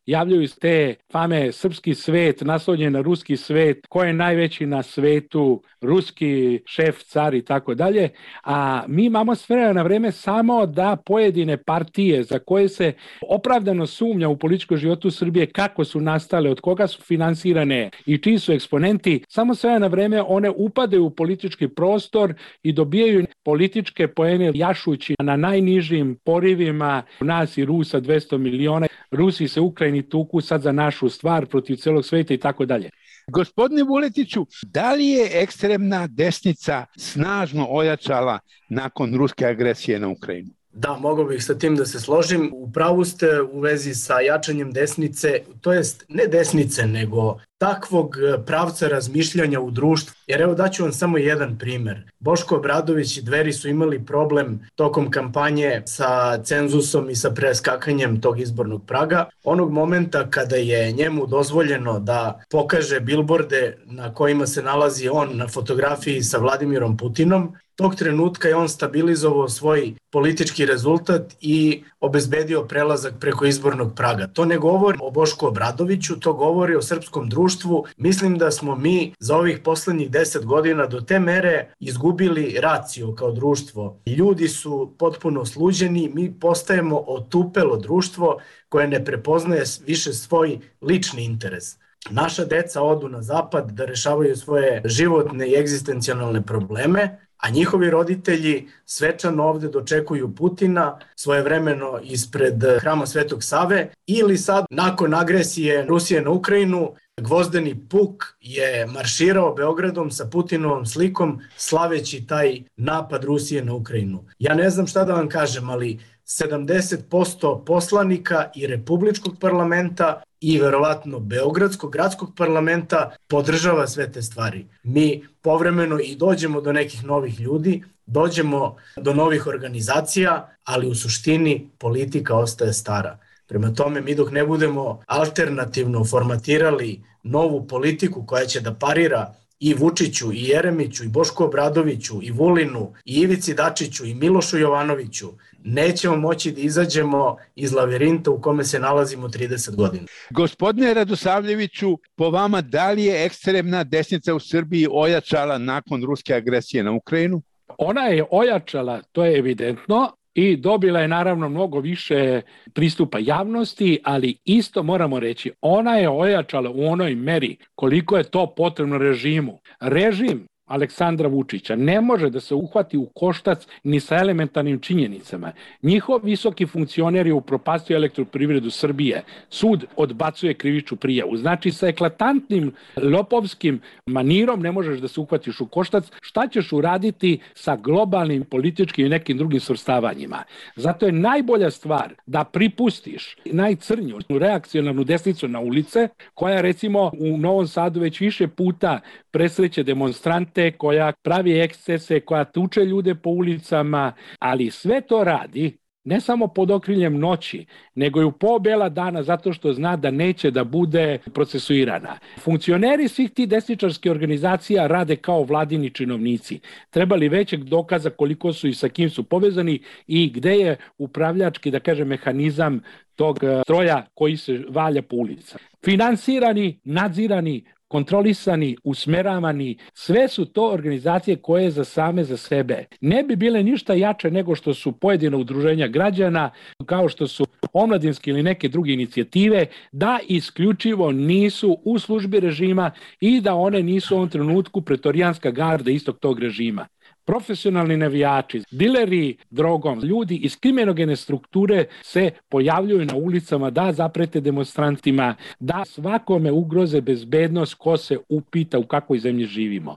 javljaju iz te fame srpski svet, naslonjen na ruski svet, ko je najveći na svetu, ruski šef, car i tako dalje, a mi imamo s vremena na vreme samo da pojedine partije za koje se opravdano sumnja u političkom životu Srbije kako su nastale, od koga su finansirane i čiji su eksponenti, samo s vremena na vreme one upadaju u politički prostor i dobijaju političke poene jašući na najnižim porivima nas i Rusa dvesta miliona. Rusi se Ukrajini tuku sad za našu stvar protiv celog sveta i tako dalje. Gospodine Vuletiću, da li je ekstremna desnica snažno ojačala nakon ruske agresije na Ukrajinu? Da, mogao bih sa tim da se složim. U pravu ste u vezi sa jačanjem desnice, to jest ne desnice, nego takvog pravca razmišljanja u društvu. Jer evo daću vam samo jedan primer. Boško Obradović i Dveri su imali problem tokom kampanje sa cenzusom i sa preskakanjem tog izbornog praga. Onog momenta kada je njemu dozvoljeno da pokaže bilborde na kojima se nalazi on na fotografiji sa Vladimirom Putinom, tog trenutka je on stabilizovao svoj politički rezultat i obezbedio prelazak preko izbornog praga. To ne govori o Bošku Obradoviću, to govori o srpskom društvu. Mislim da smo mi za ovih poslednjih deset godina do te mere izgubili raciju kao društvo. Ljudi su potpuno sluđeni, mi postajemo otupelo društvo koje ne prepoznaje više svoj lični interes. Naša deca odu na zapad da rešavaju svoje životne i egzistencijalne probleme, a njihovi roditelji svečano ovde dočekuju Putina svojevremeno ispred hrama Svetog Save ili sad nakon agresije Rusije na Ukrajinu Gvozdeni puk je marširao Beogradom sa Putinovom slikom slaveći taj napad Rusije na Ukrajinu. Ja ne znam šta da vam kažem, ali sedamdeset posto poslanika i Republičkog parlamenta i verovatno Beogradskog gradskog parlamenta podržava sve te stvari. Mi povremeno i dođemo do nekih novih ljudi, dođemo do novih organizacija, ali u suštini politika ostaje stara. Prema tome, mi dok ne budemo alternativno formatirali novu politiku koja će da parira i Vučiću, i Jeremiću, i Bošku Obradoviću, i Vulinu, i Ivici Dačiću, i Milošu Jovanoviću, nećemo moći da izađemo iz lavirinta u kome se nalazimo trideset godina. Gospodine Radosavljeviću, po vama da li je ekstremna desnica u Srbiji ojačala nakon ruske agresije na Ukrajinu? Ona je ojačala, to je evidentno, i dobila je naravno mnogo više pristupa javnosti, ali isto moramo reći, ona je ojačala u onoj meri koliko je to potrebno režimu. Režim Aleksandra Vučića ne može da se uhvati u koštac ni sa elementarnim činjenicama. Njihov visoki funkcioner je upropastio Elektroprivredu Srbije. Sud odbacuje krivičnu prijavu. Znači, sa eklatantnim lopovskim manirom ne možeš da se uhvatiš u koštac. Šta ćeš uraditi sa globalnim političkim i nekim drugim svrstavanjima? Zato je najbolja stvar da pripustiš najcrnju reakcionarnu desnicu na ulice, koja recimo u Novom Sadu već više puta presreće demonstrante, koja pravi ekscese, koja tuče ljude po ulicama, ali sve to radi ne samo pod okriljem noći, nego i u po bela dana, zato što zna da neće da bude procesuirana. Funkcioneri svih tih desničarskih organizacija rade kao vladini činovnici. Treba li većeg dokaza koliko su i sa kim su povezani i gde je upravljački, da kažem, mehanizam tog stroja koji se valja po ulicama. Finansirani, nadzirani, kontrolisani, usmeravani, sve su to organizacije koje za same za sebe ne bi bile ništa jače nego što su pojedina udruženja građana, kao što su omladinske ili neke druge inicijative, da isključivo nisu u službi režima i da one nisu u ovom trenutku pretorijanska garda istog tog režima. Profesionalni navijači, dileri drogom, ljudi iz kriminogene strukture se pojavljuju na ulicama da zaprete demonstrantima, da svakome ugroze bezbednost ko se upita u kakvoj zemlji živimo.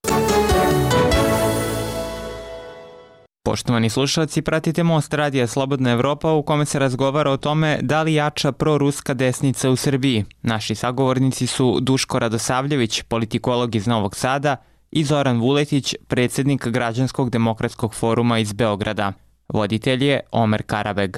Poštovani slušalci, pratite Most radija Slobodna Evropa u kome se razgovara o tome da li jača proruska desnica u Srbiji. Naši sagovornici su Duško Radosavljević, politikolog iz Novog Sada, i Zoran Vuletić, predsjednik Građanskog demokratskog foruma iz Beograda. Voditelj je Omer Karabeg.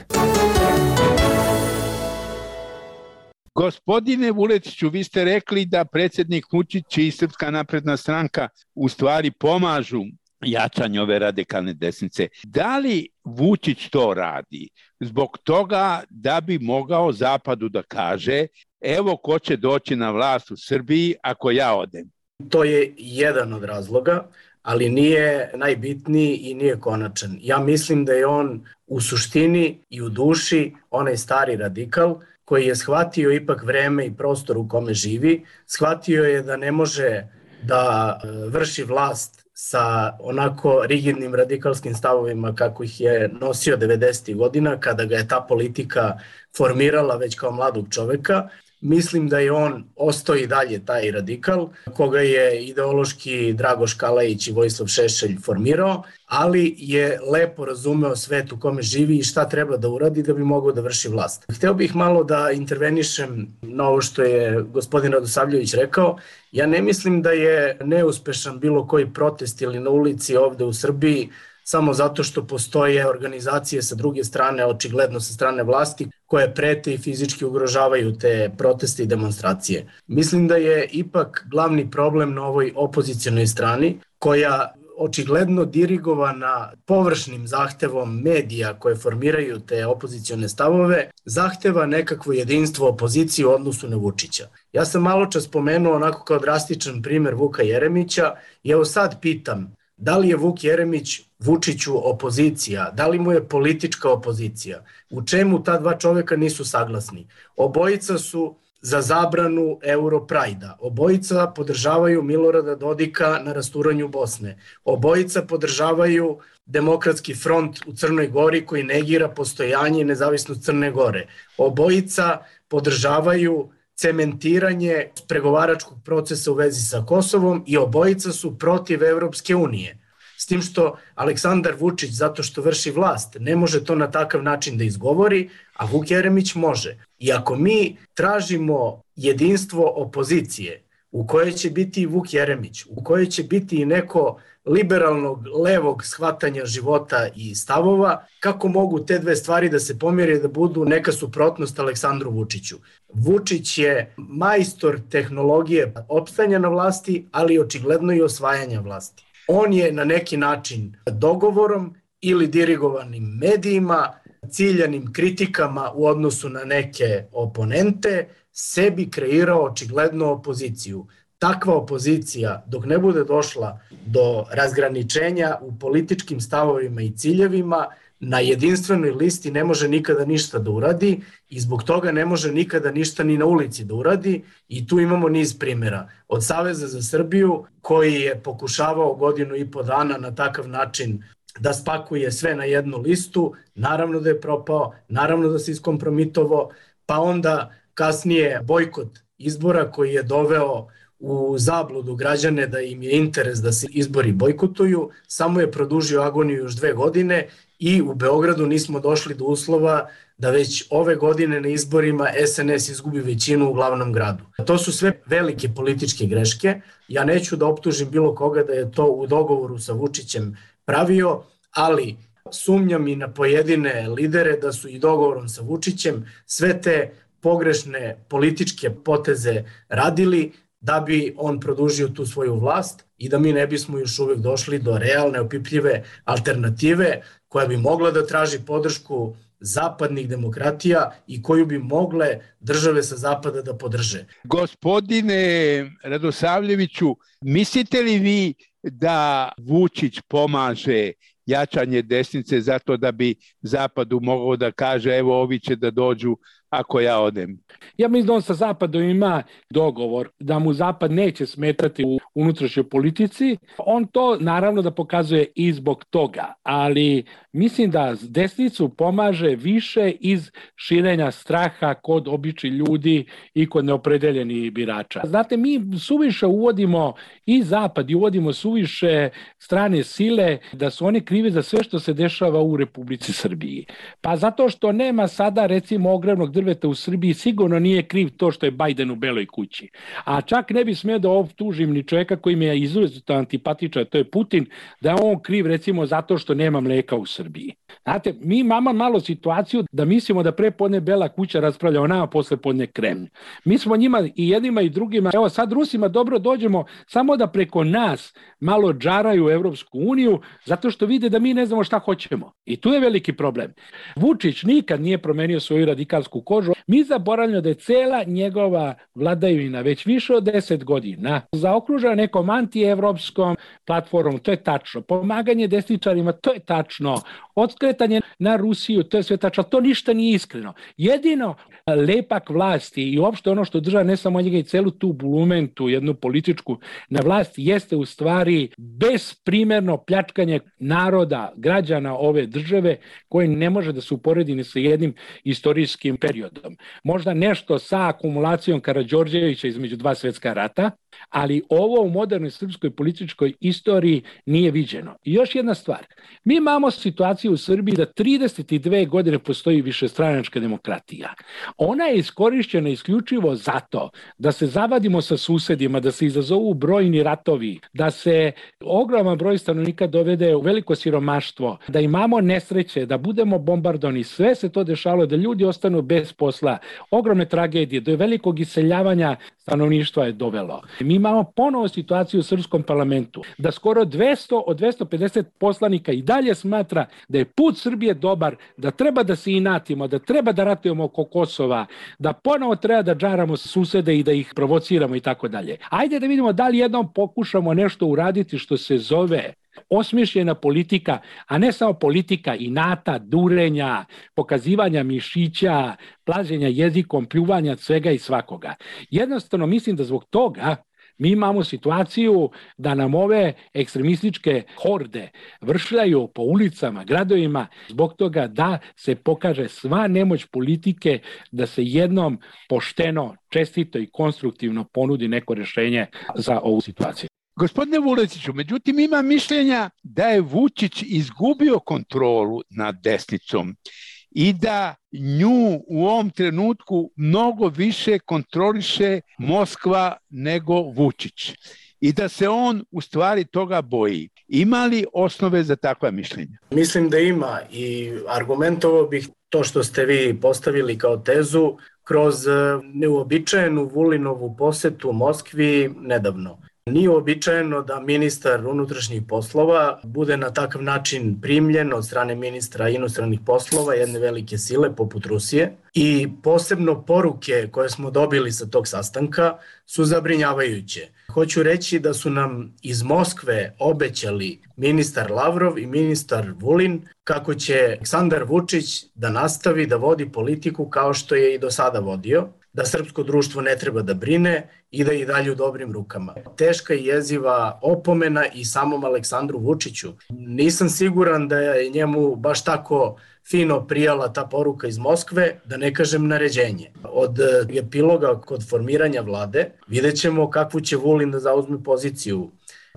Gospodine Vuletiću, vi ste rekli da predsjednik Vučić i Srpska napredna stranka u stvari pomažu jačanju ove radikalne desnice. Da li Vučić to radi zbog toga da bi mogao Zapadu da kaže evo ko će doći na vlast u Srbiji ako ja odem? To je jedan od razloga, ali nije najbitniji i nije konačan. Ja mislim da je on u suštini i u duši onaj stari radikal koji je shvatio ipak vreme i prostor u kome živi, shvatio je da ne može da vrši vlast sa onako rigidnim radikalskim stavovima kako ih je nosio devedesetih godina kada ga je ta politika formirala već kao mladog čoveka. Mislim da je on ostao i dalje taj radikal, koga je ideološki Dragoš Kalajić i Vojislav Šešelj formirao, ali je lepo razumeo svet u kome živi i šta treba da uradi da bi mogao da vrši vlast. Hteo bih malo da intervenišem na ovo što je gospodin Radosavljević rekao. Ja ne mislim da je neuspešan bilo koji protest ili na ulici ovde u Srbiji samo zato što postoje organizacije sa druge strane, očigledno sa strane vlasti, koje prete i fizički ugrožavaju te proteste i demonstracije. Mislim da je ipak glavni problem na ovoj opozicionoj strani, koja očigledno dirigovana površnim zahtevom medija koje formiraju te opozicione stavove, zahteva nekakvo jedinstvo opozicije u odnosu na Vučića. Ja sam malo čas spomenuo onako kao drastičan primer Vuka Jeremića i evo sad pitam, da li je Vuk Jeremić Vučiću opozicija? Da li mu je politička opozicija? U čemu ta dva čoveka nisu saglasni? Obojica su za zabranu Europrajda. Obojica podržavaju Milorada Dodika na rasturanju Bosne. Obojica podržavaju Demokratski front u Crnoj Gori koji negira postojanje i nezavisnost Crne Gore. Obojica podržavaju cementiranje pregovaračkog procesa u vezi sa Kosovom i obojica su protiv Evropske unije. S tim što Aleksandar Vučić, zato što vrši vlast, ne može to na takav način da izgovori, a Vuk Jeremić može. I ako mi tražimo jedinstvo opozicije, u kojoj će biti i Vuk Jeremić, u kojoj će biti i neko liberalnog, levog shvatanja života i stavova, kako mogu te dve stvari da se pomire da budu neka suprotnost Aleksandru Vučiću? Vučić je majstor tehnologije opstanja na vlasti, ali očigledno i osvajanja vlasti. On je na neki način dogovorom ili dirigovanim medijima, ciljanim kritikama u odnosu na neke oponente, sebi kreirao očigledno opoziciju. takva opozicija, dok ne bude došla do razgraničenja u političkim stavovima i ciljevima, na jedinstvenoj listi ne može nikada ništa da uradi i zbog toga ne može nikada ništa ni na ulici da uradi i tu imamo niz primjera. Od Saveza za Srbiju koji je pokušavao godinu i po dana na takav način da spakuje sve na jednu listu, naravno da je propao, naravno da se iskompromitovao, pa onda kasnije bojkot izbora koji je doveo u zabludu građane da im je interes da se izbori bojkotuju, samo je produžio agoniju još dve godine i u Beogradu nismo došli do uslova da već ove godine na izborima S N S izgubi većinu u glavnom gradu. To su sve velike političke greške. Ja neću da optužim bilo koga da je to u dogovoru sa Vučićem pravio, ali sumnjam i na pojedine lidere da su i dogovorom sa Vučićem sve te pogrešne političke poteze radili da bi on produžio tu svoju vlast i da mi ne bismo još uvijek došli do realne, opipljive alternative koja bi mogla da traži podršku zapadnih demokratija i koju bi mogle države sa zapada da podrže. Gospodine Radosavljeviću, mislite li vi da Vučić pomaže jačanje desnice zato da bi Zapadu mogao da kaže evo ovi će da dođu ako ja odem? Ja mislim da on sa Zapadom ima dogovor da mu Zapad neće smetati u unutrašnjoj politici. On to naravno da pokazuje i zbog toga, ali mislim da desnicu pomaže više iz širenja straha kod običnih ljudi i kod neopredeljenih birača. Znate, mi suviše uvodimo i Zapad i uvodimo suviše strane sile da su oni krivi za sve što se dešava u Republici Srbiji. Pa zato što nema sada recimo ogromnog drveta u Srbiji, sigurno nije kriv to što je Bajden u Beloj kući. A čak ne bi smio da optužim ni čovjeka koji mi je izuzetno antipatičan, to je Putin, da je on kriv recimo zato što nema mleka u Srbiji. Znate, mi imamo malo situaciju da mislimo da pre podne Bela kuća raspravlja o nama, posle podne Kremlj. Mi smo njima i jednima i drugima, evo sad Rusima dobro dođemo samo da preko nas malo džaraju u Evropsku uniju, zato što vide da mi ne znamo šta hoćemo. I tu je veliki problem. Vučić nikad nije promenio svoju radikalsku kožu. Mi zaboravljamo da je cela njegova vladavina već više od deset godina zaokružena nekom antievropskom platformom, to je tačno. Pomaganje desničarima, to je tačno. Odskretanje na Rusiju, to je sve tačno. To ništa nije iskreno. Jedino lepak vlasti i uopšte ono što država ne samo njega i celu tu bulumentu, jednu političku na vlasti, jeste u stvari besprimerno pljačkanje naroda, građana ove države koje ne može da se uporedi ni sa jednim istorijskim periodom. Možda nešto sa akumulacijom Karađorđevića između dva svetska rata, ali ovo u modernoj srpskoj političkoj istoriji nije viđeno. I još jedna stvar, mi imamo situaciju u Srbiji da trideset dve godine postoji višestranačka demokratija. Ona je iskorišćena isključivo zato da se zavadimo sa susedima, da se izazovu brojni ratovi, da se ogroman broj stanovnika dovede u veliko siromaštvo, da imamo nesreće, da budemo bombardovani. Sve se to dešavalo, da ljudi ostanu bez posla, ogromne tragedije, do velikog iseljavanja stanovništva je dovelo. Mi imamo ponovo situaciju u srpskom parlamentu, da skoro dvesta od dvesta pedeset poslanika i dalje smatra da je put Srbije dobar, da treba da se inatimo, da treba da ratujemo oko Kosova, da ponovo treba da džaramo susede i da ih provociramo i tako dalje. Ajde da vidimo da li jednom pokušamo nešto uraditi što se zove osmišljena politika, a ne samo politika inata, durenja, pokazivanja mišića, plaženja jezikom, pljuvanja svega i svakoga. Jednostavno mislim da zbog toga mi imamo situaciju da nam ove ekstremističke horde vršljaju po ulicama, gradovima, zbog toga da se pokaže sva nemoć politike da se jednom pošteno, čestito i konstruktivno ponudi neko rješenje za ovu situaciju. Gospodine Vuletiću, međutim ima mišljenja da je Vučić izgubio kontrolu nad desnicom i da nju u ovom trenutku mnogo više kontroliše Moskva nego Vučić i da se on u stvari toga boji. Ima li osnove za takva mišljenja? Mislim da ima i argumentovao bih to što ste vi postavili kao tezu kroz neuobičajenu Vulinovu posetu Moskvi nedavno. Nije uobičajeno da ministar unutrašnjih poslova bude na takav način primljen od strane ministra inostranih poslova jedne velike sile poput Rusije i posebno poruke koje smo dobili sa tog sastanka su zabrinjavajuće. Hoću reći da su nam iz Moskve obećali ministar Lavrov i ministar Vulin kako će Aleksandar Vučić da nastavi da vodi politiku kao što je i do sada vodio, da srpsko društvo ne treba da brine i da je i dalje u dobrim rukama. Teška i jeziva opomena i samom Aleksandru Vučiću. Nisam siguran da je njemu baš tako fino prijala ta poruka iz Moskve, da ne kažem naređenje. Od epiloga kod formiranja vlade vidjet ćemo kakvu će Vulin da zauzme poziciju.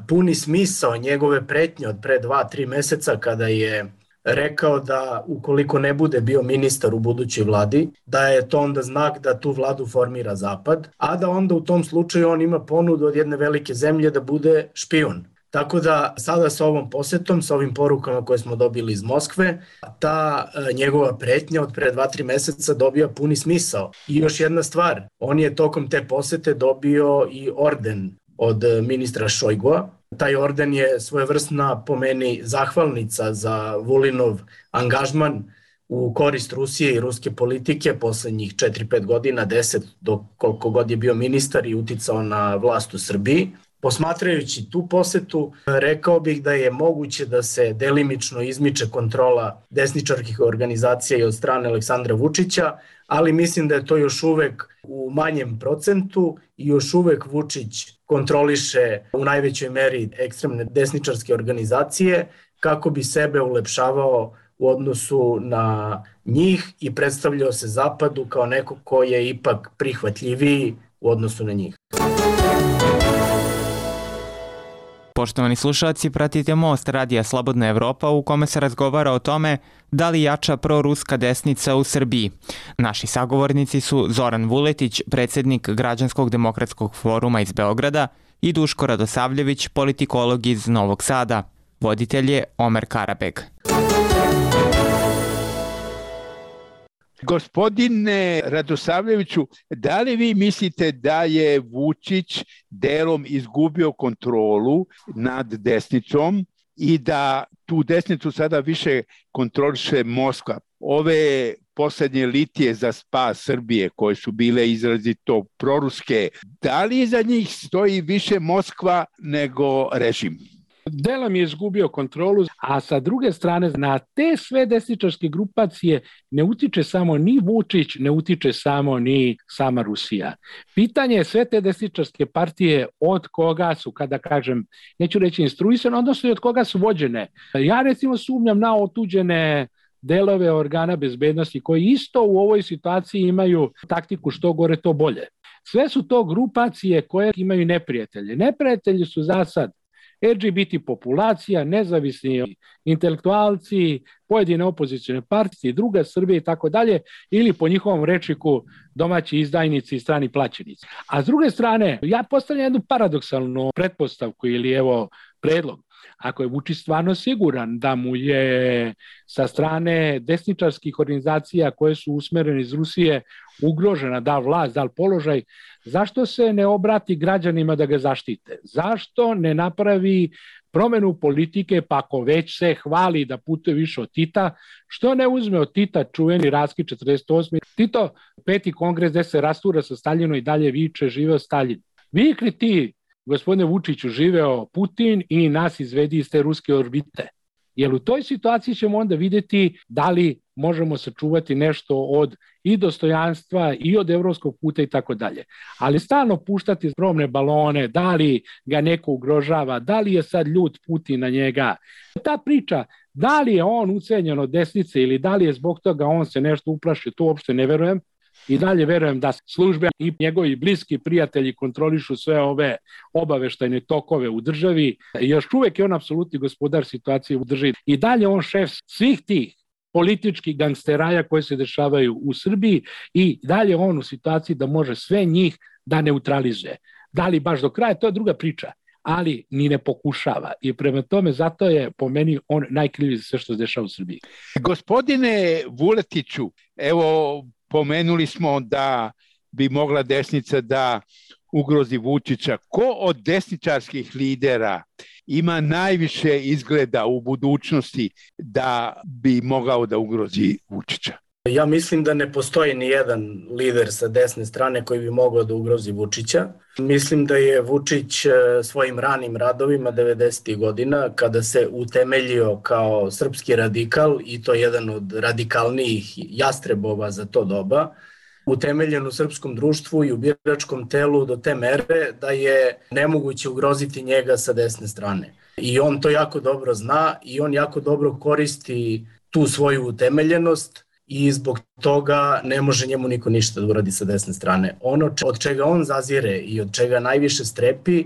Puni smisao njegove pretnje od pre dva, tri meseca kada je rekao da ukoliko ne bude bio ministar u budućoj vladi, da je to onda znak da tu vladu formira Zapad, a da onda u tom slučaju on ima ponudu od jedne velike zemlje da bude špijun. Tako da sada sa ovom posetom, sa ovim porukama koje smo dobili iz Moskve, ta njegova pretnja od pre dva, tri meseca dobija puni smisao. I još jedna stvar, on je tokom te posete dobio i orden od ministra Šojgua. Taj orden je svojevrsna, po meni, zahvalnica za Vulinov angažman u korist Rusije i ruske politike poslednjih četiri pet godina, deset do koliko god je bio ministar i uticao na vlast u Srbiji. Posmatrajući tu posetu, rekao bih da je moguće da se delimično izmiče kontrola desničarskih organizacija i od strane Aleksandra Vučića, ali mislim da je to još uvek u manjem procentu i još uvek Vučić kontroliše u najvećoj meri ekstremne desničarske organizacije kako bi sebe ulepšavao u odnosu na njih i predstavljao se Zapadu kao neko ko je ipak prihvatljiviji u odnosu na njih. Poštovani slušalci, pratite Most radija Slobodna Evropa u kome se razgovara o tome da li jača proruska desnica u Srbiji. Naši sagovornici su Zoran Vuletić, predsjednik Građanskog demokratskog foruma iz Beograda, i Duško Radosavljević, politikolog iz Novog Sada. Voditelj je Omer Karabeg. Gospodine Radosavljeviću, da li vi mislite da je Vučić delom izgubio kontrolu nad desnicom i da tu desnicu sada više kontroliše Moskva? Ove poslednje litije za spas Srbije koje su bile izrazito proruske, da li iza njih stoji više Moskva nego režim? Delom je izgubio kontrolu, a sa druge strane na te sve desničarske grupacije ne utiče samo ni Vučić, ne utiče samo ni sama Rusija. Pitanje je sve te desničarske partije od koga su, kada kažem, neću reći instruisane, odnosno i od koga su vođene. Ja recimo sumnjam na otuđene delove organa bezbednosti koji isto u ovoj situaciji imaju taktiku što gore to bolje. Sve su to grupacije koje imaju neprijatelje. Neprijatelji su za sad L G B T populacija, nezavisni intelektualci, pojedine opozicijne partije, druga Srbija i tako dalje, ili po njihovom rečniku domaći izdajnici i strani plaćenici. A s druge strane, ja postavljam jednu paradoksalnu pretpostavku ili evo predlog. Ako je Vučić stvarno siguran da mu je sa strane desničarskih organizacija koje su usmerene iz Rusije ugrožena da vlast, da položaj, zašto se ne obrati građanima da ga zaštite? Zašto ne napravi promenu politike, pa ako već se hvali da putuje više od Tita, što ne uzme od Tita čuveni raskid četrdeset osme Tito, peti kongres gde se rastura sa Staljinom i dalje viče živeo Staljin. Vikli ti, gospodine Vučiću, živeo Putin i nas izvedi iz te ruske orbite. Jer u toj situaciji ćemo onda vidjeti da li možemo sačuvati nešto od i dostojanstva i od evropskog puta i tako dalje. Ali stalno puštati probne balone, da li ga neko ugrožava, da li je sad ljut Putin na njega. Ta priča, da li je on ucenjen od desnice ili da li je zbog toga on se nešto uplašio, to uopšte ne verujem. I dalje verujem da službe i njegovi bliski prijatelji kontrolišu sve ove obaveštajne tokove u državi. Još uvek je on apsolutni gospodar situacije u državi. I dalje on šef svih tih političkih gangsteraja koje se dešavaju u Srbiji i dalje on u situaciji da može sve njih da neutralizuje. Da li baš do kraja, to je druga priča, ali ni ne pokušava. I prema tome, zato je po meni on najkriviji za sve što se dešava u Srbiji. Gospodine Vuletiću, evo, pomenuli smo da bi mogla desnica da ugrozi Vučića. Ko od desničarskih lidera ima najviše izgleda u budućnosti da bi mogao da ugrozi Vučića? Ja mislim da ne postoji ni jedan lider sa desne strane koji bi mogao da ugrozi Vučića. Mislim da je Vučić svojim ranim radovima devedesetih godina, kada se utemeljio kao srpski radikal, i to jedan od radikalnijih jastrebova za to doba, utemeljen u srpskom društvu i u biračkom telu do te mere da je nemoguće ugroziti njega sa desne strane. I on to jako dobro zna i on jako dobro koristi tu svoju utemeljenost i zbog toga ne može njemu niko ništa da uradi sa desne strane. Ono od čega on zazire i od čega najviše strepi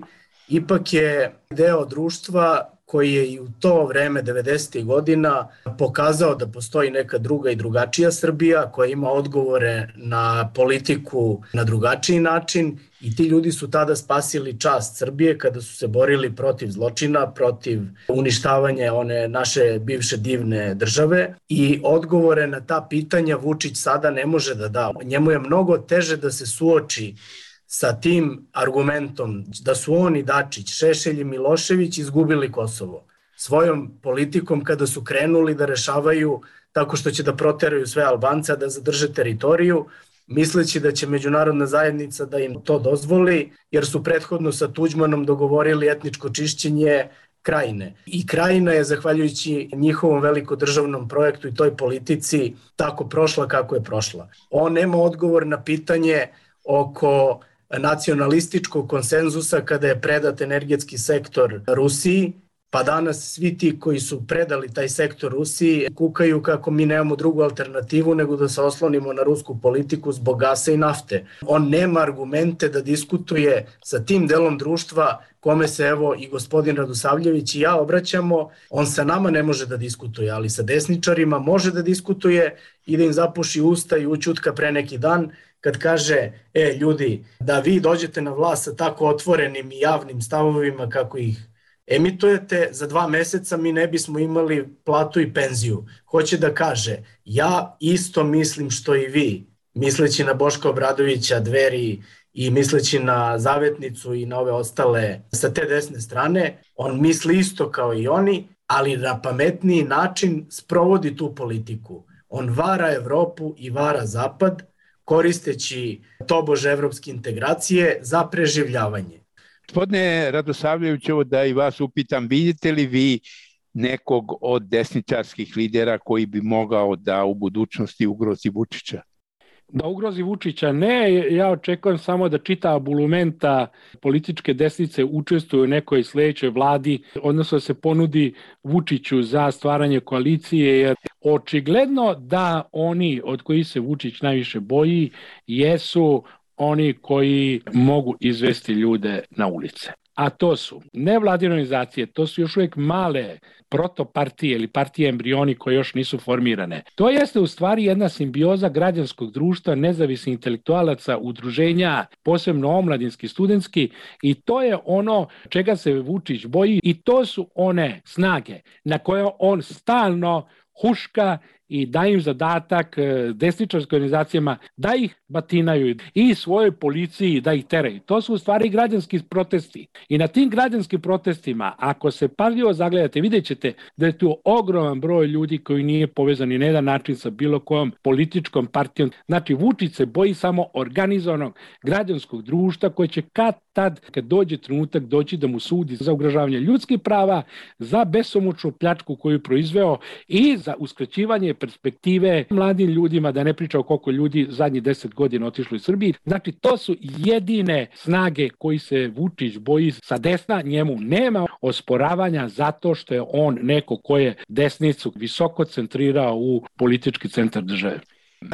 ipak je deo društva koji je i u to vreme devedesetih godina pokazao da postoji neka druga i drugačija Srbija koja ima odgovore na politiku na drugačiji način i ti ljudi su tada spasili čast Srbije kada su se borili protiv zločina, protiv uništavanja one naše bivše divne države i odgovore na ta pitanja Vučić sada ne može da da. Njemu je mnogo teže da se suoči sa tim argumentom da su oni, Dačić, Šešelj i Milošević izgubili Kosovo. Svojom politikom kada su krenuli da rešavaju tako što će da proteraju sve Albance, da zadrže teritoriju, misleći da će međunarodna zajednica da im to dozvoli, jer su prethodno sa Tuđmanom dogovorili etničko čišćenje Krajine. I Krajina je, zahvaljujući njihovom velikodržavnom projektu i toj politici, tako prošla kako je prošla. On nema odgovor na pitanje oko nacionalističkog konsenzusa kada je predat energetski sektor Rusiji, pa danas svi ti koji su predali taj sektor Rusiji kukaju kako mi nemamo drugu alternativu nego da se oslonimo na rusku politiku zbog gasa i nafte. On nema argumente da diskutuje sa tim delom društva kome se evo i gospodin Radosavljević i ja obraćamo. On sa nama ne može da diskutuje, ali sa desničarima može da diskutuje i da im zapuši usta i ućutka pre neki dan kad kaže, e ljudi, da vi dođete na vlast sa tako otvorenim i javnim stavovima kako ih emitujete, za dva meseca mi ne bismo imali platu i penziju. Hoće da kaže, ja isto mislim što i vi, misleći na Boška Obradovića, Dveri i misleći na Zavetnicu i na ove ostale sa te desne strane, on misli isto kao i oni, ali na pametniji način sprovodi tu politiku. On vara Evropu i vara Zapad, koristeći tobože evropske integracije za preživljavanje. Gospodine Radosavljević, ovo da i vas upitam, vidite li vi nekog od desničarskih lidera koji bi mogao da u budućnosti ugrozi Vučića? Da ugrozi Vučića ne, ja očekujem samo da čita bulumenta političke desnice učestvuju u nekoj sledećoj vladi, odnosno da se ponudi Vučiću za stvaranje koalicije, jer očigledno da oni od kojih se Vučić najviše boji jesu oni koji mogu izvesti ljude na ulice. A to su nevladine organizacije, to su još uvijek male protopartije ili partije embrioni koje još nisu formirane. To jeste u stvari jedna simbioza građanskog društva, nezavisnih intelektualaca, udruženja, posebno omladinski, studentski, i to je ono čega se Vučić boji i to su one snage na koje on stalno huška i da im zadatak desničarskim organizacijama da ih batinaju i svojoj policiji da ih teraju. To su u stvari građanski protesti. I na tim građanskim protestima, ako se pažljivo zagledate, vidjet ćete da je tu ogroman broj ljudi koji nije povezan ni na jedan način sa bilo kojom političkom partijom. Znači, Vučić se boji samo organizovanog građanskog društva koje će kad tad, kad dođe trenutak, doći da mu sudi za ugrožavanje ljudskih prava, za besomučnu pljačku koju je proizveo i za uskraćivanje perspektive mladim ljudima, da ne pričao koliko ljudi zadnjih deset godina otišlo iz Srbije. Znači, to su jedine snage koji se Vučić boji sa desna, njemu nema osporavanja zato što je on neko ko je desnicu visoko centrirao u politički centar države.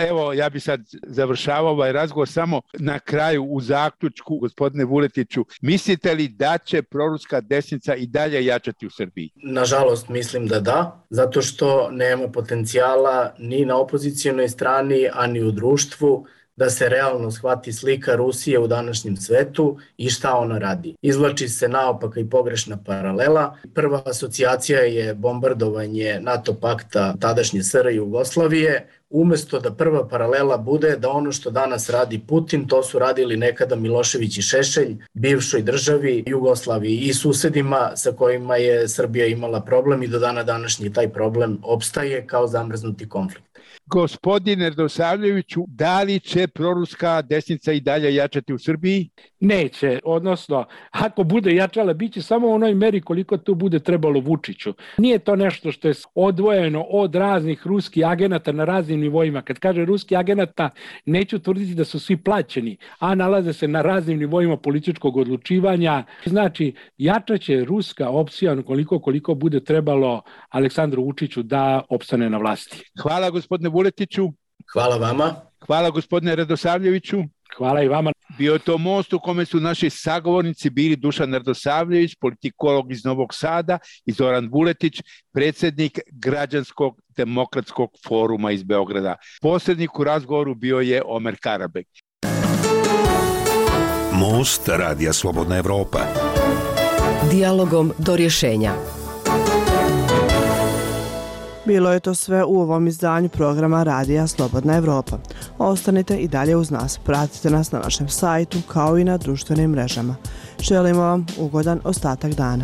Evo, ja bi sad završavao ovaj razgovor samo na kraju u zaključku, gospodine Vuletiću. Mislite li da će proruska desnica i dalje jačati u Srbiji? Nažalost, mislim da da, zato što nema potencijala ni na opozicijonoj strani, a ni u društvu da se realno shvati slika Rusije u današnjem svetu i šta ona radi. Izvlači se naopaka i pogrešna paralela. Prva asocijacija je bombardovanje NATO pakta tadašnje S R Jugoslavije, umesto da prva paralela bude da ono što danas radi Putin, to su radili nekada Milošević i Šešelj, bivšoj državi Jugoslaviji i susedima sa kojima je Srbija imala problem i do dana današnji taj problem opstaje kao zamrznuti konflikt. Gospodine Radosavljeviću, da li će proruska desnica i dalje jačati u Srbiji? Neće, odnosno, ako bude jačala, bit će samo u onoj meri koliko to bude trebalo Vučiću. Nije to nešto što je odvojeno od raznih ruskih agenata na raznim nivoima. Kad kaže ruski agenata, neću tvrditi da su svi plaćeni, a nalaze se na raznim nivoima političkog odlučivanja. Znači, jačaće ruska opcija koliko koliko bude trebalo Aleksandru Vučiću da opstane na vlasti. Hvala gospodine Vuletiću. Hvala vama. Hvala gospodine Radosavljeviću. Hvala i vama. Bio je to most u kome su naši sagovornici bili Dušan Radosavljević, politikolog iz Novog Sada, i Zoran Vuletić, predsjednik Građanskog demokratskog foruma iz Beograda. Posrednik u razgovoru bio je Omer Karabek. Most Radija Slobodna Evropa. Dijalogom do rješenja. Bilo je to sve u ovom izdanju programa Radija Slobodna Evropa. Ostanite i dalje uz nas. Pratite nas na našem sajtu kao i na društvenim mrežama. Želimo vam ugodan ostatak dana.